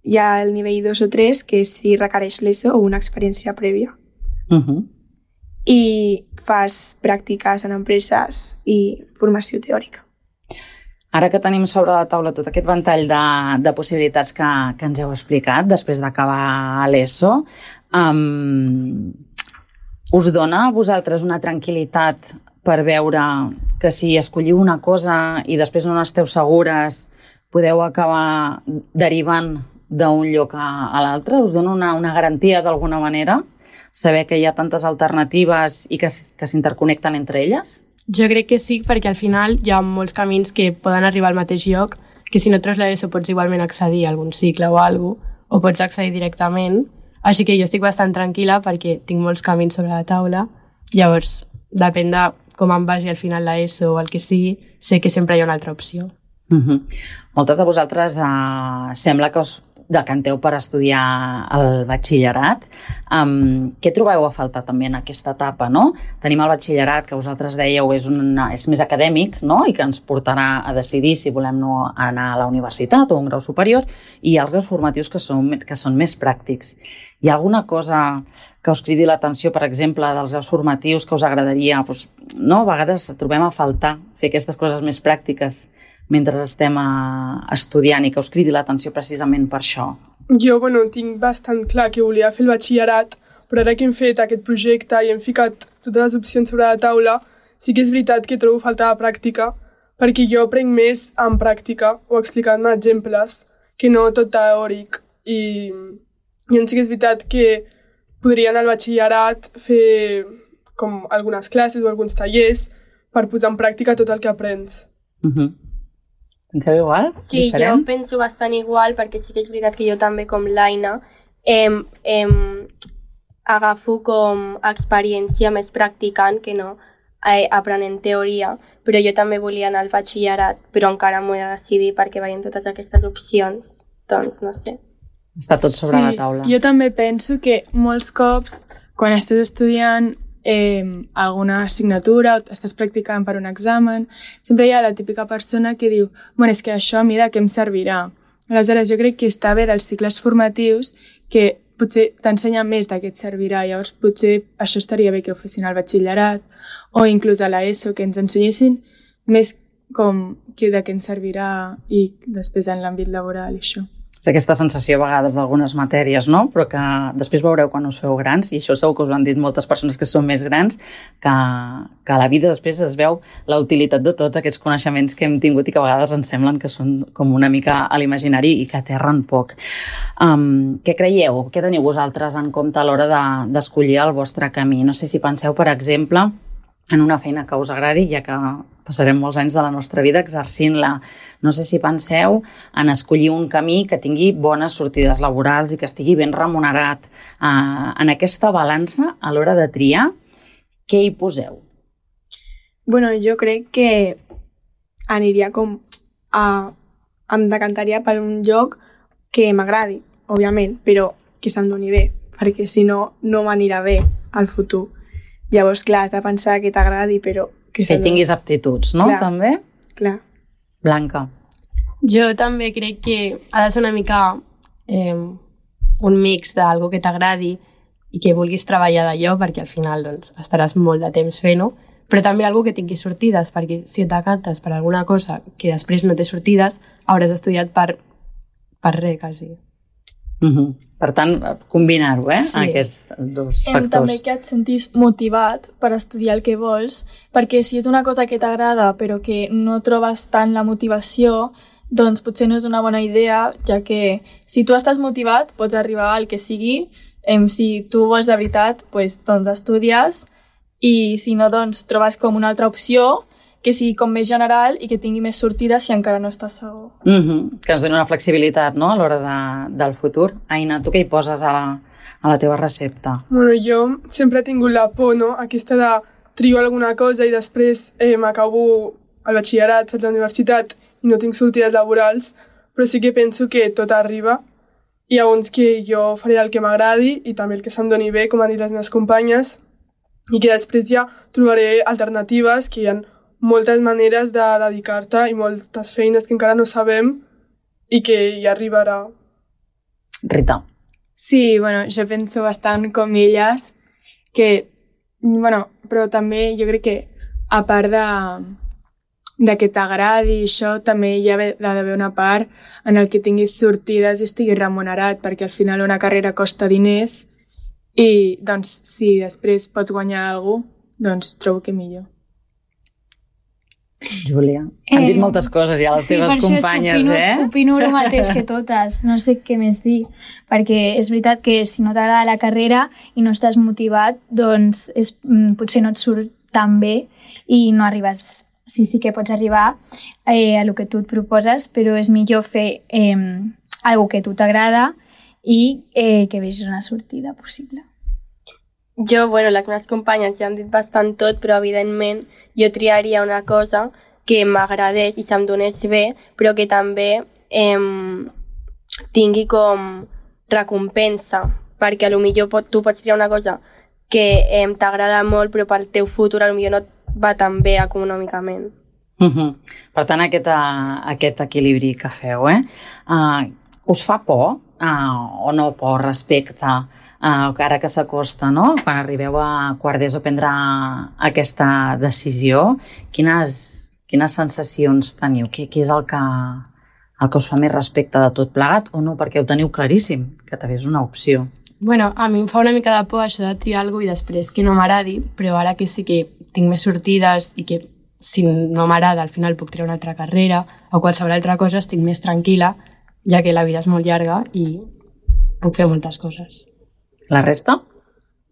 hi ha el nivell 2 o 3, que si requereix l'ESO o una experiència prèvia. I fas pràctiques en empreses i formació teòrica. Ara que tenim sobre la taula tot aquest ventall de possibilitats que ens heu explicat després d'acabar l'ESO, us dona a vosaltres una tranquil·litat per veure que si escolliu una cosa i després no n'esteu segures, podeu acabar derivant d'un lloc a l'altre? Us dona una garantia d'alguna manera? Saber que hi ha tantes alternatives i que s'interconnecten entre elles? Jo crec que sí, perquè al final hi ha molts camins que poden arribar al mateix lloc, que si no treus l'ESO pots igualment accedir a algun cicle o alguna cosa, o pots accedir directament. Així que jo estic bastant tranquil·la perquè tinc molts camins sobre la taula. Llavors, depèn de com em vagi al final l'ESO o el que sigui, sé que sempre hi ha una altra opció. Moltes de vosaltres sembla que us decanteu per estudiar el batxillerat. Què trobeu a faltar també en aquesta etapa, no? Tenim el batxillerat, que vosaltres dèieu és més acadèmic, no? I que ens portarà a decidir si volem anar a la universitat o a un grau superior, i els graus formatius que són més pràctics. Hi ha alguna cosa que us cridi l'atenció, per exemple, dels graus formatius que us agradaria? A vegades trobem a faltar fer aquestes coses més pràctiques mentre estem estudiant i que us cridi l'atenció precisament per això? Jo, tinc bastant clar que volia fer el batxillerat, però ara que hem fet aquest projecte i hem ficat totes les opcions sobre la taula, sí que és veritat que trobo falta de pràctica, perquè jo aprenc més en pràctica o explicant-me exemples que no tot teòric. I llavors sí que és veritat que podria anar al batxillerat, fer com algunes classes o alguns tallers per posar en pràctica tot el que aprens. Penseu igual? Sí, jo penso bastant igual, perquè sí que és veritat que jo també, com l'Aina, agafo com experiència més practicant que no aprenent teoria, però jo també volia anar al batxillerat, però encara m'ho he de decidir perquè veiem totes aquestes opcions, doncs no sé. Està tot sobre la taula. Jo també penso que molts cops, quan estàs estudiant alguna assignatura o estàs practicant per un examen, sempre hi ha la típica persona que diu és que això a mi de què em servirà? Aleshores jo crec que està bé dels cicles formatius que potser t'ensenya més de què et servirà, llavors potser això estaria bé que ho fessin al batxillerat o inclús a l'ESO, que ens ensenyessin més com que de què ens servirà i després en l'àmbit laboral i això. És aquesta sensació a vegades d'algunes matèries, no? Però que després veureu quan us feu grans, i això segur que us ho han dit moltes persones que són més grans, que a la vida després es veu la utilitat de tots aquests coneixements que hem tingut i que a vegades ens semblen que són com una mica a l'imaginari i que aterren poc. Què creieu? Què teniu vosaltres en compte a l'hora d'escollir el vostre camí? No sé si penseu, per exemple, en una feina que us agradi, ja que passarem molts anys de la nostra vida exercint-la. No sé si penseu en escollir un camí que tingui bones sortides laborals i que estigui ben remunerat. En aquesta balança, a l'hora de triar, què hi poseu? Jo crec que aniria em decantaria per un lloc que m'agradi, òbviament, però que se'm doni bé, perquè si no, no m'anirà bé al futur. Llavors, clar, has de pensar que t'agradi, però que tinguis aptituds, no? Clar, també? Clar. Blanca. Jo també crec que ha de ser una mica un mix d'algo que t'agradi i que vulguis treballar d'allò, perquè al final estaràs molt de temps fent-ho, però també algú que tingui sortides, perquè si et decantes per alguna cosa que després no té sortides, hauràs estudiat per res, quasi. Per tant, combinar-ho, Sí. Aquests dos factors. També que et sentis motivat per estudiar el que vols, perquè si és una cosa que t'agrada però que no trobes tant la motivació, doncs potser no és una bona idea, ja que si tu estàs motivat pots arribar al que sigui. Si tu vols de veritat, doncs estudies, i si no, doncs trobes com una altra opció que sigui com més general i que tingui més sortides si encara no estàs segur. Que ens doni una flexibilitat, no?, a l'hora del futur. Aina, tu què hi poses a la teva recepta? Bueno, jo sempre he tingut la por, no?, aquesta de trio alguna cosa i després m'acabo el batxillerat, faig la universitat i no tinc sortides laborals, però sí que penso que tot arriba i llavors que jo faré el que m'agradi i també el que se'm doni bé, com han dit les meves companyes, i que després ja trobaré alternatives, que hi ha moltes maneres de dedicar-te i moltes feines que encara no sabem i que hi arribarà. Rita. Sí, bueno, jo penso bastant com elles, que, bueno, però també jo crec que a part de que t'agradi això, també hi ha d'haver una part en el que tinguis sortides i estiguis remunerat, perquè al final una carrera costa diners i doncs si després pots guanyar alguna cosa, doncs trobo que millor. Júlia, han dit moltes coses ja les teves companyes, Opino el mateix que totes, no sé què més dir, perquè és veritat que si no t'agrada la carrera i no estàs motivat, doncs potser no et surt tan bé i no arribes. Sí que pots arribar a lo que tu et proposes, però és millor fer algo que a tu t'agrada i que vegis una sortida possible. Jo, bueno, les meves companyes ja han dit bastant tot, però evidentment jo triaria una cosa que m'agradés i se'm donés bé, però que també tingui com recompensa, perquè potser tu pots triar una cosa que t'agrada molt, però pel teu futur potser no et va tan bé econòmicament. Per tant, aquest equilibri que feu, us fa por o no por respecte ara que s'acosta, no? Quan arribeu a quart d'ESO a prendre aquesta decisió, quines sensacions teniu? Què és el que us fa més respecte de tot plegat o no? Perquè ho teniu claríssim, que també és una opció. Bueno, a mi em fa una mica de por això de triar alguna cosa i després que no m'agradi, però ara que sí que tinc més sortides i que si no m'agrada al final puc triar una altra carrera o qualsevol altra cosa, estic més tranquil·la, ja que la vida és molt llarga i puc fer moltes coses. La resta?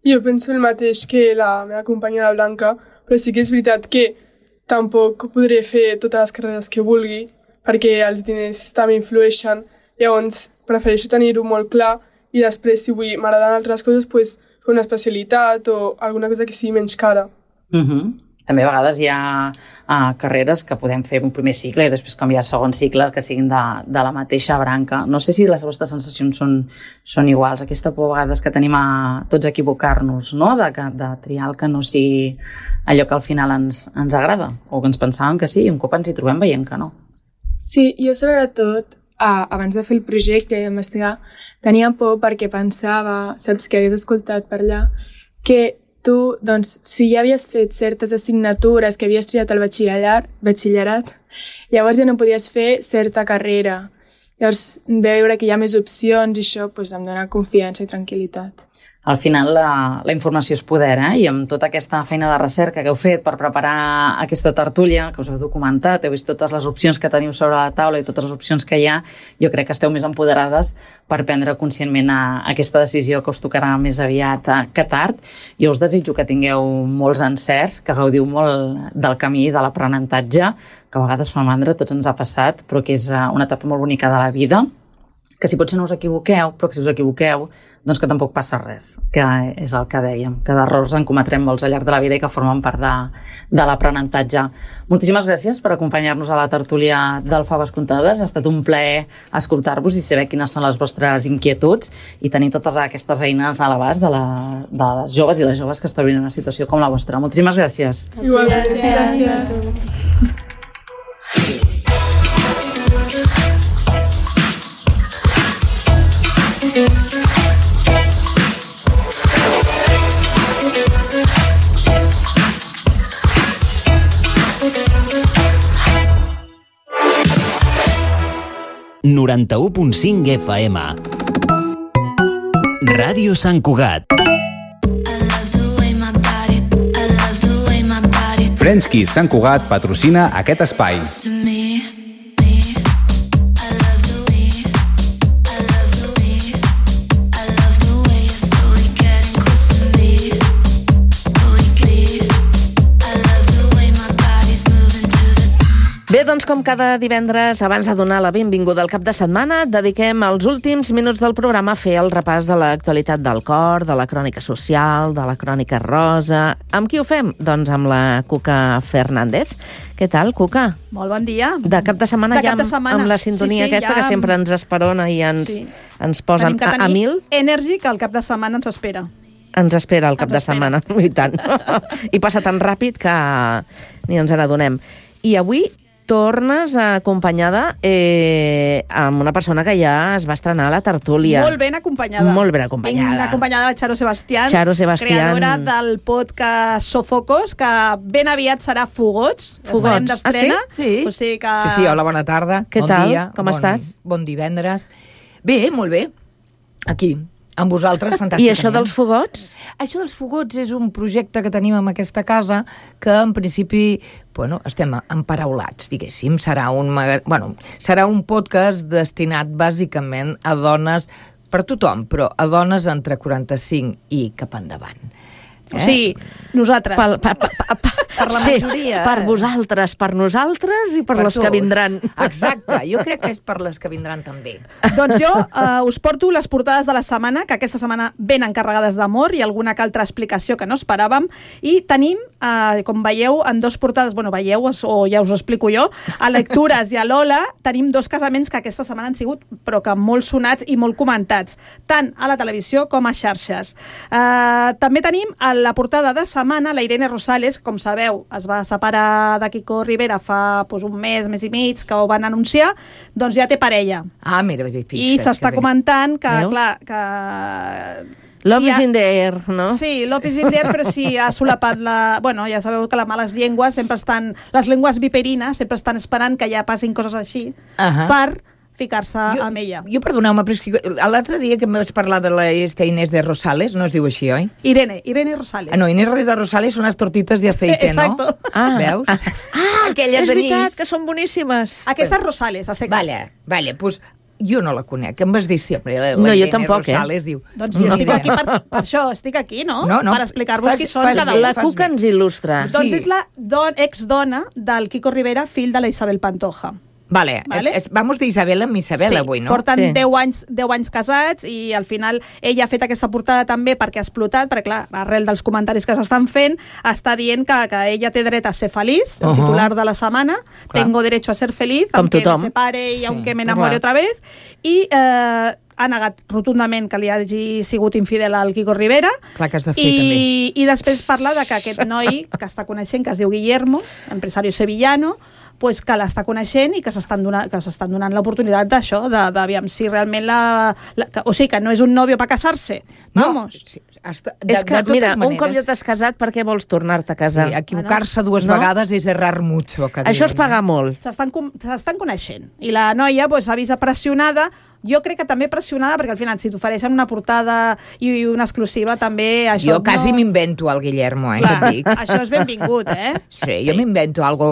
Jo penso el mateix que la meva companya, la Blanca, però sí que és veritat que tampoc podré fer totes les carreres que vulgui perquè els diners també influeixen. Llavors prefereixo tenir-ho molt clar i després, si m'agraden altres coses, fer una especialitat o alguna cosa que sigui menys cara. També a vegades hi ha carreres que podem fer un primer cicle i després canviar segon cicle que siguin de la mateixa branca. No sé si les vostres sensacions són iguals. Aquesta por a vegades que tenim a tots equivocar-nos, no? De triar el que no sigui allò que al final ens agrada o que ens pensàvem que sí i un cop ens hi trobem veiem que no. Sí, jo sobretot abans de fer el projecte i d'investigar tenia por perquè pensava, saps, que hagués escoltat per allà, que tu, doncs, si ja havies fet certes assignatures que havies triat al batxillerat, llavors ja no podies fer certa carrera. Llavors, veure que hi ha més opcions i això em dona confiança i tranquil·litat. Al final la informació és poder, i amb tota aquesta feina de recerca que heu fet per preparar aquesta tertúlia, que us heu documentat, heu vist totes les opcions que teniu sobre la taula i totes les opcions que hi ha, jo crec que esteu més empoderades per prendre conscientment aquesta decisió que us tocarà més aviat que tard. Jo us desitjo que tingueu molts encerts, que gaudiu molt del camí de l'aprenentatge, que a vegades fa mandra, tots ens ha passat, però que és una etapa molt bonica de la vida, que si potser no us equivoqueu, però que si us equivoqueu, doncs que tampoc passa res, que és el que dèiem, que d'errors en cometrem molts al llarg de la vida i que formen part de l'aprenentatge. Moltíssimes gràcies per acompanyar-nos a la tertúlia del Faves Comptades. Ha estat un plaer escoltar-vos i saber quines són les vostres inquietuds i tenir totes aquestes eines a l'abast de les joves i les joves que es trobin en una situació com la vostra. Moltíssimes gràcies. Gràcies. 91.5 FM. Ràdio Sant Cugat. Frenchki Sant Cugat patrocina aquest espai. Bé, doncs com cada divendres, abans de donar la benvinguda al cap de setmana, dediquem els últims minuts del programa a fer el repàs de l'actualitat del cor, de la crònica social, de la crònica rosa. Amb qui ho fem? Doncs amb la Cuca Fernández. Què tal, Cuca? Molt bon dia. De cap de setmana ja amb la sintonia aquesta que sempre ens esperona i ens posen a mil. Energy que al cap de setmana ens espera. Ens espera el cap de setmana, i tant. I passa tan ràpid que ni ens n'adonem. I avui tornes acompanyada amb una persona que ja es va estrenar a la tertúlia. Molt ben acompanyada. Molt ben acompanyada. Ben acompanyada de Charo Sebastián, creadora del podcast Sofocos, que ben aviat serà Fogots. Fogots. D'estrena. Sí? O sigui que... Sí, hola, bona tarda. Què bon tal? Dia, com estàs? Bon divendres. Bé, molt bé. Aquí, amb vosaltres, fantàsticament. I això dels Fogots? Això dels Fogots és un projecte que tenim en aquesta casa que, en principi, estem emparaulats, diguéssim. Serà un podcast destinat, bàsicament, a dones, per tothom, però a dones entre 45 i cap endavant. O sigui, nosaltres. Per la majoria. Per vosaltres, per nosaltres i per les que vindran. Exacte, jo crec que és per les que vindran també. Doncs jo us porto les portades de la setmana, que aquesta setmana ben encarregades d'amor i alguna que altra explicació que no esperàvem. I tenim, com veieu, en dos portades, veieu, o ja us ho explico jo, a Lectures i a Lola, tenim dos casaments que aquesta setmana han sigut, però que molt sonats i molt comentats, tant a la televisió com a xarxes. També tenim a la portada de setmana la Irene Rosales, com sabeu, es va separar de Kiko Rivera fa un mes i mig, que ho van anunciar, doncs ja té parella. Ah, mira, fixa't. I s'està comentant que, clar, que... Love is in the air, no? Sí, love is in the air, però sí ha solapat la... ja sabeu que les males llengües sempre estan... Les llengües viperines sempre estan esperant que ja passin coses així per ficar-se amb ella. Jo, perdoneu-me, però és que l'altre dia que em vas parlar de la Inés de Rosales, no es diu així, oi? Irene Rosales. No, Inés de Rosales són les tortites de aceite, no? Exacto. Veus? Aquelles és veritat, que són boníssimes. Aquestes Rosales, a seques. Vale, pues jo no la conec, em vas dir sempre. No, jo tampoc, Rosales diu... Doncs jo estic aquí per això, estic aquí, no? Per explicar-vos qui són cada un. La Cuca ens il·lustra. Doncs és la exdona del Kiko Rivera, fill de la Isabel Pantoja. Vale. Vamos de Isabel amb Isabel avui, no? Porten 10 anys casats i al final ella ha fet aquesta portada també perquè ha explotat, perquè clar, arrel dels comentaris que s'estan fent, està dient que ella té dret a ser feliç, el titular de la setmana, tengo derecho a ser feliz, aunque me separe y aunque me enamore otra vez, i ha negat rotundament que li hagi sigut infidel al Kiko Rivera. Clar que has de fer, també. I després parla de que aquest noi que està coneixent, que es diu Guillermo, empresario sevillano, pues que l'està coneixent i que s'estan donant l'oportunitat d'això, d'aviam si realment o sigui, que no és un nòvio per casar-se. Vamos. És que, mira, un cop ja t'has casat, per què vols tornar-te a casar? Sí, equivocar-se dues vegades és errar mucho. Això es paga molt. S'estan coneixent. I la noia s'ha vist pressionada, jo crec que també pressionada, perquè al final, si t'ofereixen una portada i una exclusiva, també això... Jo quasi m'invento el Guillermo, clar, que et dic. Això és benvingut, Sí, jo m'invento algo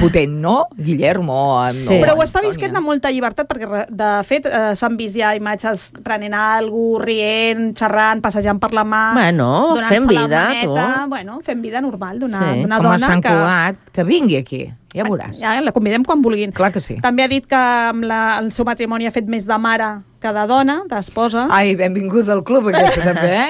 potent, no? Guillermo, sí. Però ho està visquent de molta llibertat, perquè, de fet, s'han vist ja imatges prenent alguna cosa, rient, xerrant, passejant per la mà... Bueno, fem vida, tu. Bueno, fem vida normal d'una Com dona a Sant Cugat, que vingui aquí. Ja veuràs. Ja, la convidem quan vulguin. Clar que sí. També ha dit que amb el seu matrimoni ha fet més de mare que de dona, d'esposa. Ai, benvinguts al club, aquesta també,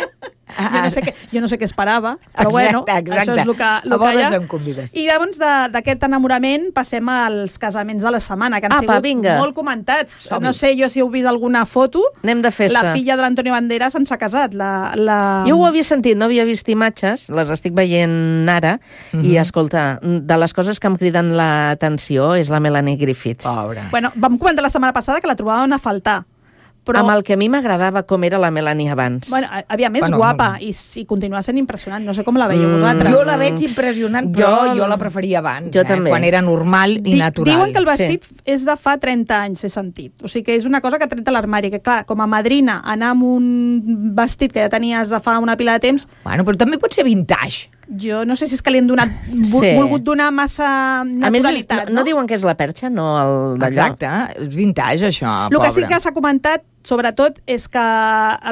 Jo no sé què esperava, però bueno, això és el que hi ha. Em convides. I llavors d'aquest enamorament passem als casaments de la setmana, que han sigut molt comentats. No sé jo si heu vist alguna foto. Anem de festa. La filla de l'Antonio Banderas s'ha casat. Jo ho havia sentit, no havia vist imatges, les estic veient ara, i escolta, de les coses que em criden l'atenció és la Melanie Griffith. Pobra. Bueno, vam comentar la setmana passada que la trobàvem a faltar, Però... Amb el que a mi m'agradava com era la Melanie abans. Bueno, aviam, és guapa i continua sent impressionant. No sé com la veieu vosaltres. Jo la veig impressionant, però jo la preferia abans, també. Quan era normal i natural. Diuen que el vestit és de fa 30 anys, he sentit. O sigui que és una cosa que ha tret a l'armari, que clar, com a madrina, anar amb un vestit que ja tenies de fa una pila de temps... Bueno, però també pot ser vintage. Jo no sé si és que li han donat, volgut donar massa naturalitat. A més, no diuen que és la perxa, no el d'allò? Exacte, és vintage, això, El que sí que s'ha comentat, sobretot, és que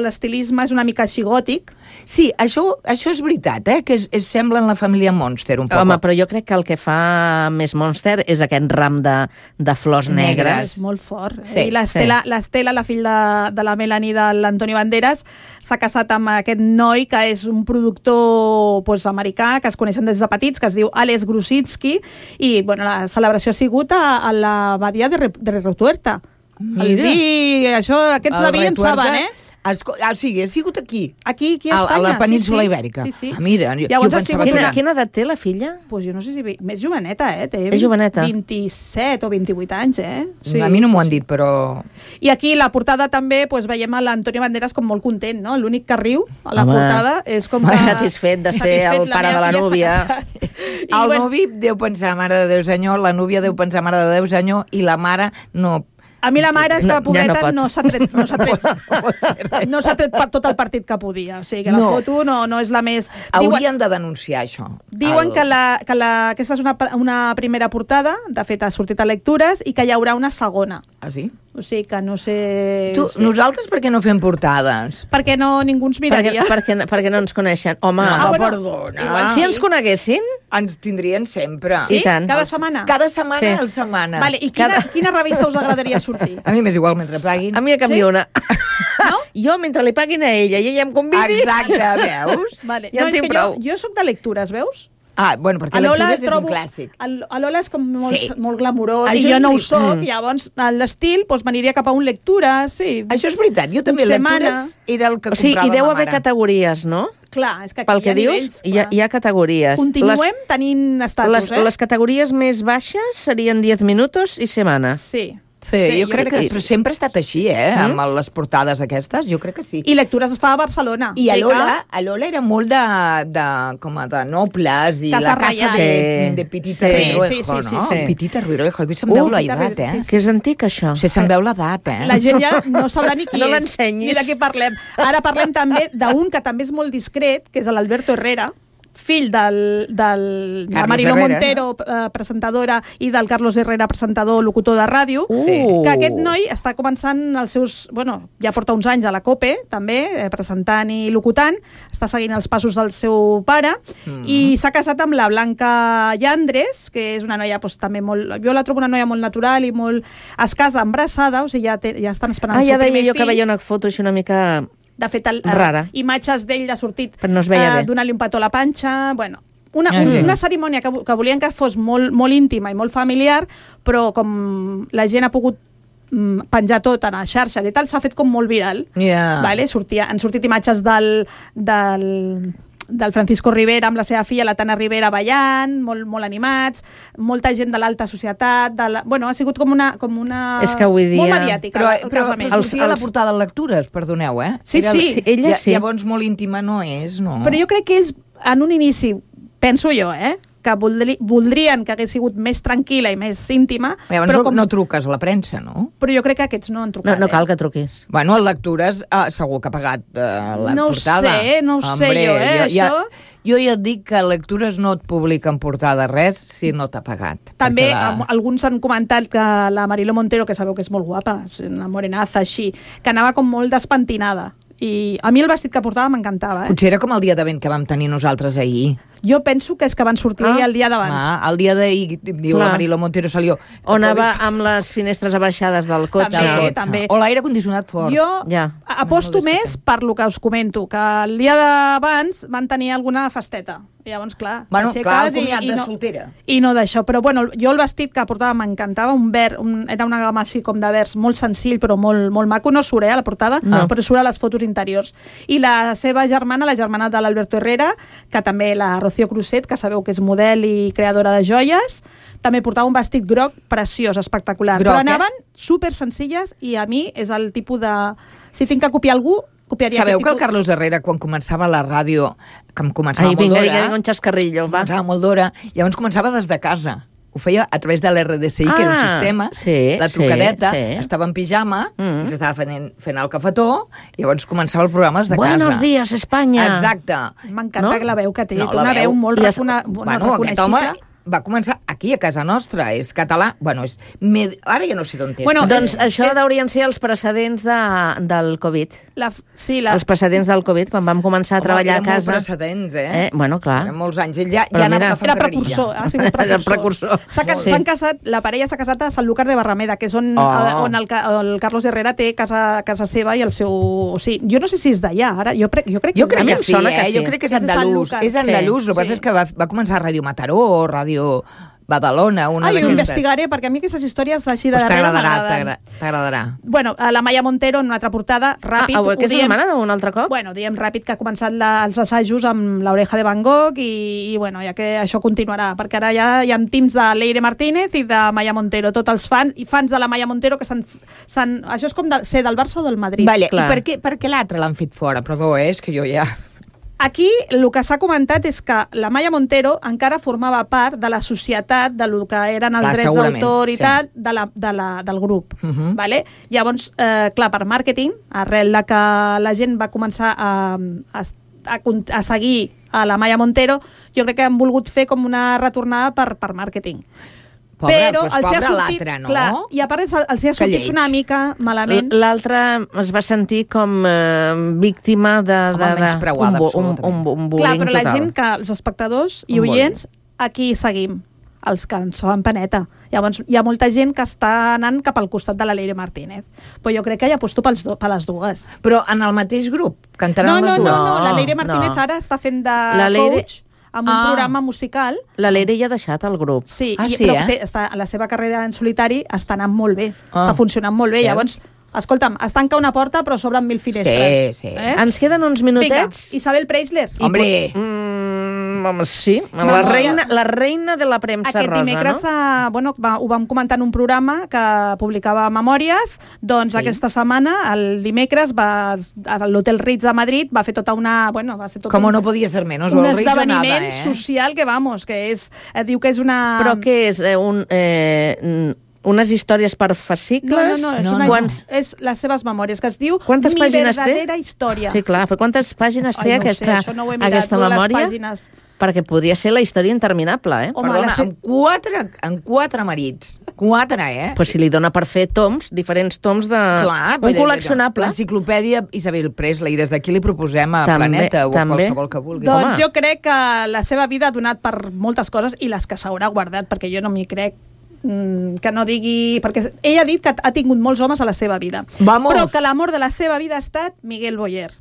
l'estilisme és una mica així gòtic. Sí, això és veritat, que sembla en la família Monster, un poc. Home, però jo crec que el que fa més Monster és aquest ram de flors negres. És molt fort. I l'Estela, la fill de la Melanie de l'Antonio Banderas, s'ha casat amb aquest noi que és un productor americà, que es coneixen des de petits, que es diu Alex Grusinski, i la celebració ha sigut a la badia de Retuerta. El vi, aquests de vi en saben, O sigui, ha sigut aquí. Aquí a Espanya. A la península Ibèrica. Sí. Mira, jo pensava que... Quina edat té la filla? Pues jo no sé si... Més joveneta, té és joveneta. 27 o 28 anys, Sí, a mi no m'ho han dit, però... I aquí la portada també veiem a l'Antonio Banderas com molt content, no? L'únic que riu a la portada és com que... Satisfet de ser el pare de la núvia. El novi deu pensar, mare de Déu senyor, la núvia deu pensar, mare de Déu senyor, i la mare no... A mi la mare és que la pobreta no s'ha tret per tot el partit que podia. O sigui, que la foto no és la més... Haurien de denunciar això. Diuen que aquesta és una primera portada, de fet ha sortit a lectures, i que hi haurà una segona. Ah, sí? O sigui que no sé... Nosaltres per què no fem portades? Perquè ningú ens miraria. Perquè no ens coneixen. Home, perdona. Si ens coneguessin... Ens tindrien sempre. Sí? Cada setmana? Cada setmana al setmana. Vale, i quina revista us agradaria sortir? A mi m'és igual, mentre paguin. A mi a canvi una. No? Jo, mentre li paguin a ella i ella em convidi... Exacte, veus? Vale. Ja en tinc prou. Jo soc de lectures, veus? Bueno, perquè lectures és un clàssic. A Lola és com molt glamurós i jo no ho soc, llavors l'estil m'aniria cap a un lectura, sí. Això és veritat, jo també lectures era el que comprava ma mare. I deu haver categories, no? Clar, és que pel que dius, hi ha categories. Continuem tenint estatus, Les categories més baixes serien 10 minuts i setmana. Sí. Sí, jo crec que però sempre ha estat així, amb les portades aquestes, jo crec que sí. I lectures es fa a Barcelona. I a Lola era molt de nobles i la casa de Petita Ruiroejo, no? Petita Ruiroejo, avui se'n veu l'edat, Que és antic, això. Sí, se'n veu l'edat, La gent ja no sabrà ni qui és. No l'ensenyis. Ni de què parlem. Ara parlem també d'un que també és molt discret, que és l'Alberto Herrera, fill de Mariló Montero, presentadora, i del Carlos Herrera, presentador, locutor de ràdio, que aquest noi està començant els seus... ja porta uns anys a la COPE, també, presentant i locutant, està seguint els passos del seu pare, i s'ha casat amb la Blanca Llandres, que és una noia també molt... Jo la trobo una noia molt natural i molt... Es casa embarassada, o sigui, ja estan esperant el seu primer fill. Ja deia jo que veia una foto així una mica... De fet, imatges d'ell ha sortit donant-li un petó a la panxa... Una cerimònia que volien que fos molt íntima i molt familiar, però com la gent ha pogut penjar tot en les xarxes i tal, s'ha fet com molt viral. Han sortit imatges del Francisco Rivera amb la seva filla, la Tana Rivera, ballant, molt animats, molta gent de l'alta societat, ha sigut com una és que avui dia... molt mediàtica. Però sortia la portada de lectures, perdoneu, Sí. Ella sí. Llavors molt íntima no és, no? Però jo crec que ells, en un inici, penso jo, que voldrien que hagués sigut més tranquil·la i més íntima. Però no truques a la premsa, no? Però jo crec que aquests no han trucat. No cal que truquis. Bueno, el lectures segur que ha pagat la portada. No ho sé jo, això... Jo ja et dic que lectures no et publiquen portada res si no t'ha pagat. També alguns han comentat que la Mariló Montero, que sabeu que és molt guapa, una morenaza així, que anava com molt despentinada. I a mi el vestit que portava m'encantava. Potser era com el dia de vent que vam tenir nosaltres ahir. Jo penso que és que van sortir el dia d'abans. El dia d'ahir, diu la Mariló Montero, salió. O anava amb les finestres abaixades del cotxe. També. O l'aire condicionat fort. Jo aposto més per lo que us comento, que el dia d'abans van tenir alguna festeta. I llavors, clar, el comiat de soltera. I no d'això. Però jo el vestit que portava m'encantava, un verd, era una gamma així com de verds, molt senzill, però molt maco. No surt a la portada, però surt a les fotos interiors. I la seva germana, la germana de l'Alberto Herrera, que també la Rocío Cruzet, que sabeu que és model i creadora de joies, també portava un vestit groc preciós, espectacular. Groc, però anaven super senzilles i a mi és el tipus de... Si tinc que copiar algú, copiaria Sabeu aquest que el tipus... Carlos Herrera, quan començava la ràdio, que em començava Ai, molt vinga, d'hora... vinga, un xascarrillo, va. Començava molt d'hora, llavors començava des de casa. Ho feia a través de l'RDCI, que era un sistema, la trucadeta, estava en pijama, s'estava fent el cafetó, i llavors començava el programa des de casa. Buenos días, Espanya. Exacte. M'encanta la veu que té, té una veu molt Bueno, aquest home reconeixible. va començar aquí, a casa nostra, és català, bueno, ara ja no sé d'on és. Bueno, doncs això deurien ser els precedents del Covid. Els precedents del Covid, quan vam començar a treballar a casa. Molts precedents, Bueno, clar. Eren molts anys. Ell ja anava fent era precursor, ha sigut precursor. S'han casat, la parella s'ha casat a Sanlúcar de Barrameda, que és on el Carlos Herrera té casa seva i el seu... O sigui, jo no sé si és d'allà, ara. Jo crec que sí, jo crec que és andalús. És andalús, el que passa és que va començar a Ràdio Mataró o Ràdio Badalona, una d'aquestes. Jo investigaré, perquè a mi aquestes històries així de darrere m'agraden. T'agradarà. Bueno, la Maia Montero, en una altra portada, ràpid. Aquesta setmana, un altre cop? Bueno, diem ràpid que ha començat els assajos amb l'Oreja de Van Gogh i bueno, ja que això continuarà, perquè ara ja hi ha teams de Leire Martínez i de Maia Montero, tots els fans de la Maia Montero que això és com ser del Barça o del Madrid. Vale, i per què l'altre l'han fet fora? Perdó, és que jo ja... Aquí el que s'ha comentat és que la Maia Montero encara formava part de la societat del que eren els drets d'autor i tal del grup. Vale? Llavors, clar, per màrqueting, arrel de que la gent va començar a seguir a la Maia Montero, jo crec que han volgut fer com una retornada per màrqueting. Però els hi ha sortit, no? Clar, i a part els hi ha sortit una mica malament. L'altre es va sentir com víctima d'un bullying total. Clar, però la gent, que els espectadors i oients, aquí seguim, els que ens fan paneta. Llavors, hi ha molta gent que està anant cap al costat de la Leire Martínez. Però jo crec que hi aposto per les dues. Però en el mateix grup? Cantaran les dues? No, la Leire Martínez ara està fent de coach amb un programa musical. La Leire ja ha deixat el grup. Sí, però la seva carrera en solitari està anant molt bé, està funcionant molt bé. Llavors, escolta'm, es tanca una porta però s'obren 1000 finestres. Sí. Ens queden uns minutets. Vinga, Isabel Preisler. Hombre! Sí, la reina de la premsa rosa, dimecres, no? ho vam comentar en un programa que publicava Memòries, doncs aquesta setmana, el dimecres, a l'Hotel Ritz de Madrid, va fer tota una... Com no podia ser menys, un esdeveniment social que diu que és una... Però què és? Unes històries per fascicles? No. És les seves memòries, que es diu Quantes pàgines té? Mi verdadera història. Sí, clar, però quantes pàgines té aquesta memòria? Perquè podria ser la història interminable, Perdona, amb 4 marits. 4, Pues si li dona per fer diferents toms de... Un col·leccionable. L'enciclopèdia Isabel Presley, des d'aquí li proposem a Planeta o a qualsevol que vulgui. Doncs jo crec que la seva vida ha donat per moltes coses i les que s'haurà guardat, perquè jo no m'hi crec que no digui... Perquè ella ha dit que ha tingut molts homes a la seva vida. Però que l'amor de la seva vida ha estat Miguel Boyer.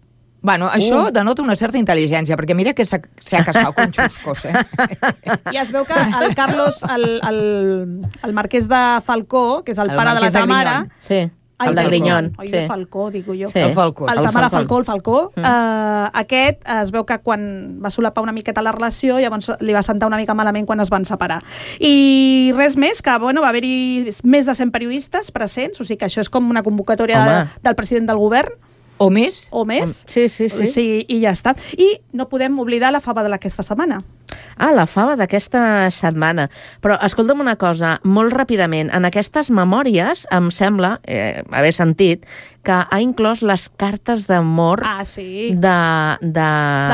Bueno, això denota una certa intel·ligència, perquè mira que s'ha casat con xuscos, I es veu que el Carlos, el marquès de Falcó, que és el pare de la Tamara... El de Grinyon. De Falcó, digo jo. El Falcó. El Tamara Falcó, el Falcó. Aquest es veu que quan va solapar una miqueta la relació, llavors li va sentar una mica malament quan es van separar. I res més, que va haver-hi més de 100 periodistes presents, o sigui que això és com una convocatòria del president del govern. O més? Sí. I ja està. I no podem oblidar la fava d'aquesta setmana. La fava d'aquesta setmana. Però escolta'm una cosa, molt ràpidament. En aquestes memòries, em sembla, haver sentit, que ha inclòs les cartes d'amor de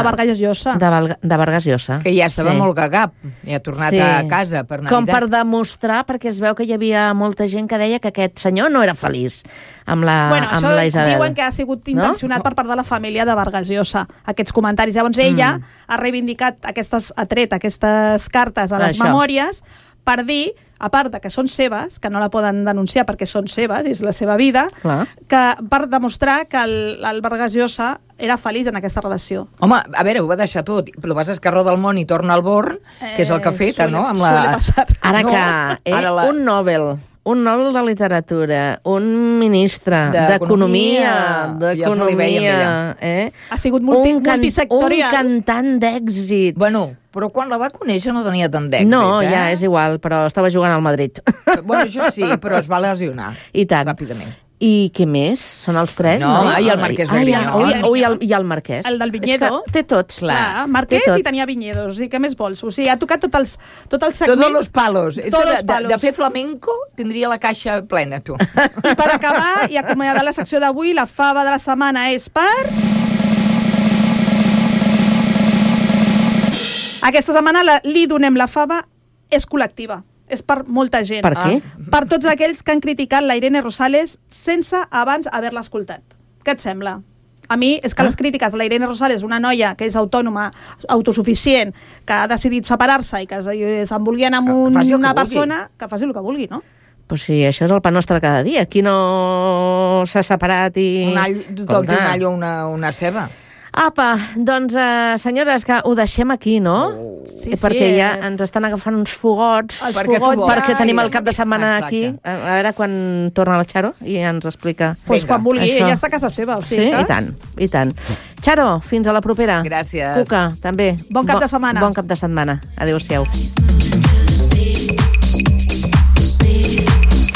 Vargas Llosa. De Vargas Llosa. Que ja estava molt gagap. I ha tornat a casa per Navidad. Com per demostrar, perquè es veu que hi havia molta gent que deia que aquest senyor no era feliç amb la Isabel. Això diuen que ha sigut intencionat per part de la família de Vargas Llosa, aquests comentaris. Llavors ella ha reivindicat ha tret aquestes cartes a les memòries per dir, a part de que són seves, que no la poden denunciar perquè són seves, és la seva vida, que per demostrar que el Vargas Llosa era feliç en aquesta relació. Home, a veure, ho va deixar tot. Però vas a escarró del món i torna al Born, que és el que ha fet, no? Ara que un un Nobel de Literatura, un ministre d'Economia, ja se li veia amb ella. Ha sigut multisectorial. Un cantant d'èxit. Bueno, però quan la va conèixer no tenia tant d'èxit, No, ja és igual, però estava jugant al Madrid. Bueno, això sí, però es va lesionar. I tant. Ràpidament. I què més? Són els tres? No, i el Marquès de Griñón. I el Marquès. El del Viñedo. Té tot. Clar, Marquès i tenia Viñedos. I què més vols? O sigui, ha tocat tots els segments. Tots els palos. Tots de fer flamenco tindria la caixa plena, tu. I per acabar i acomiadar la secció d'avui, la fava de la setmana és per... Aquesta setmana li donem la fava, és col·lectiva. És per molta gent. Per què? Per tots aquells que han criticat la Irene Rosales sense abans haver-la escoltat. Què et sembla? A mi és que les crítiques de la Irene Rosales, una noia que és autònoma, autosuficient, que ha decidit separar-se i que s'envolgui amb una persona, que faci el que vulgui, no? Pues sí, això és el pa nostre cada dia. Qui no s'ha separat i... Tothom té un all o una ceba. Apa, doncs, senyores, que ho deixem aquí, no? Sí, perquè ja ens estan agafant uns fogots. Perquè tenim el cap de setmana aquí. A veure quan torna la Charo i ens explica. Doncs quan vulgui, ella està a casa seva. O sigui, sí, i tant. Charo, fins a la propera. Gràcies. Cuca, també. Bon cap de setmana. Bon cap de setmana. Adéu-siau.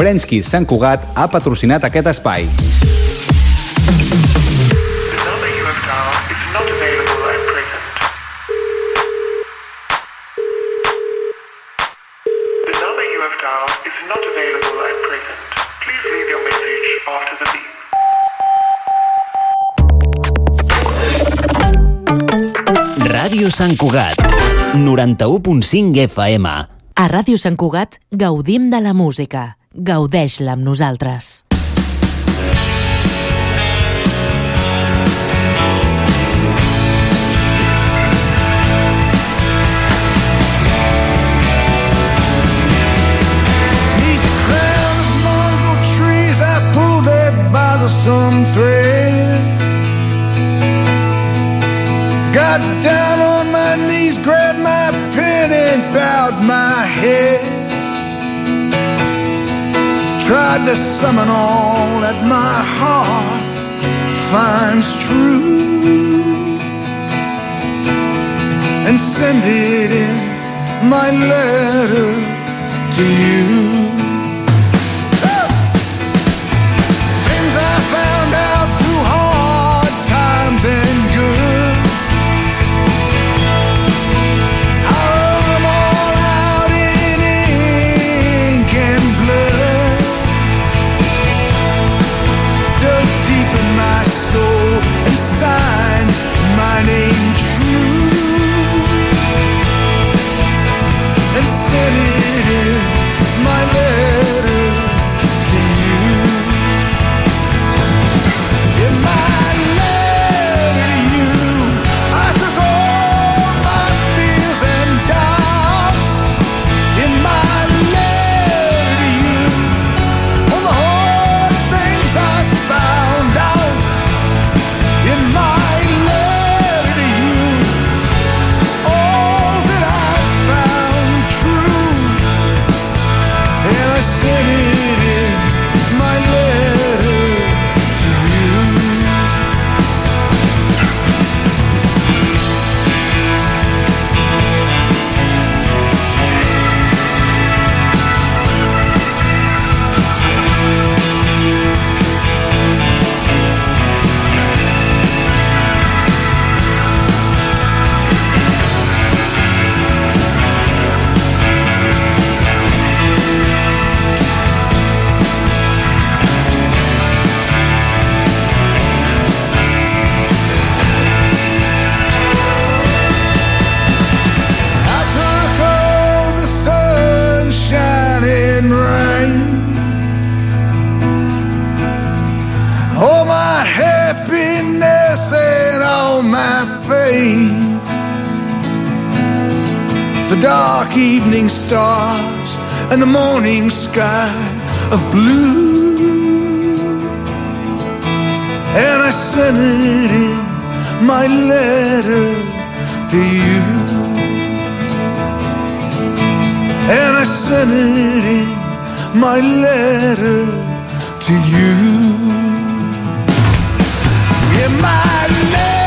Prensky Sant Cugat ha patrocinat aquest espai. Ràdio Sant Cugat, 91.5 FM. A Ràdio Sant Cugat gaudim de la música. Gaudeix-la amb nosaltres. Some thread. Got down on my knees, grabbed my pen and bowed my head. Tried to summon all that my heart finds true and send it in my letter to you. Found out through hard times and good. I wrote them all out in ink and blood. Dug deep in my soul and signed my name true and sent it in my letter to you. The dark evening stars and the morning sky of blue, and I sent it in my letter to you, and I sent it in my letter to you. Yeah, my letter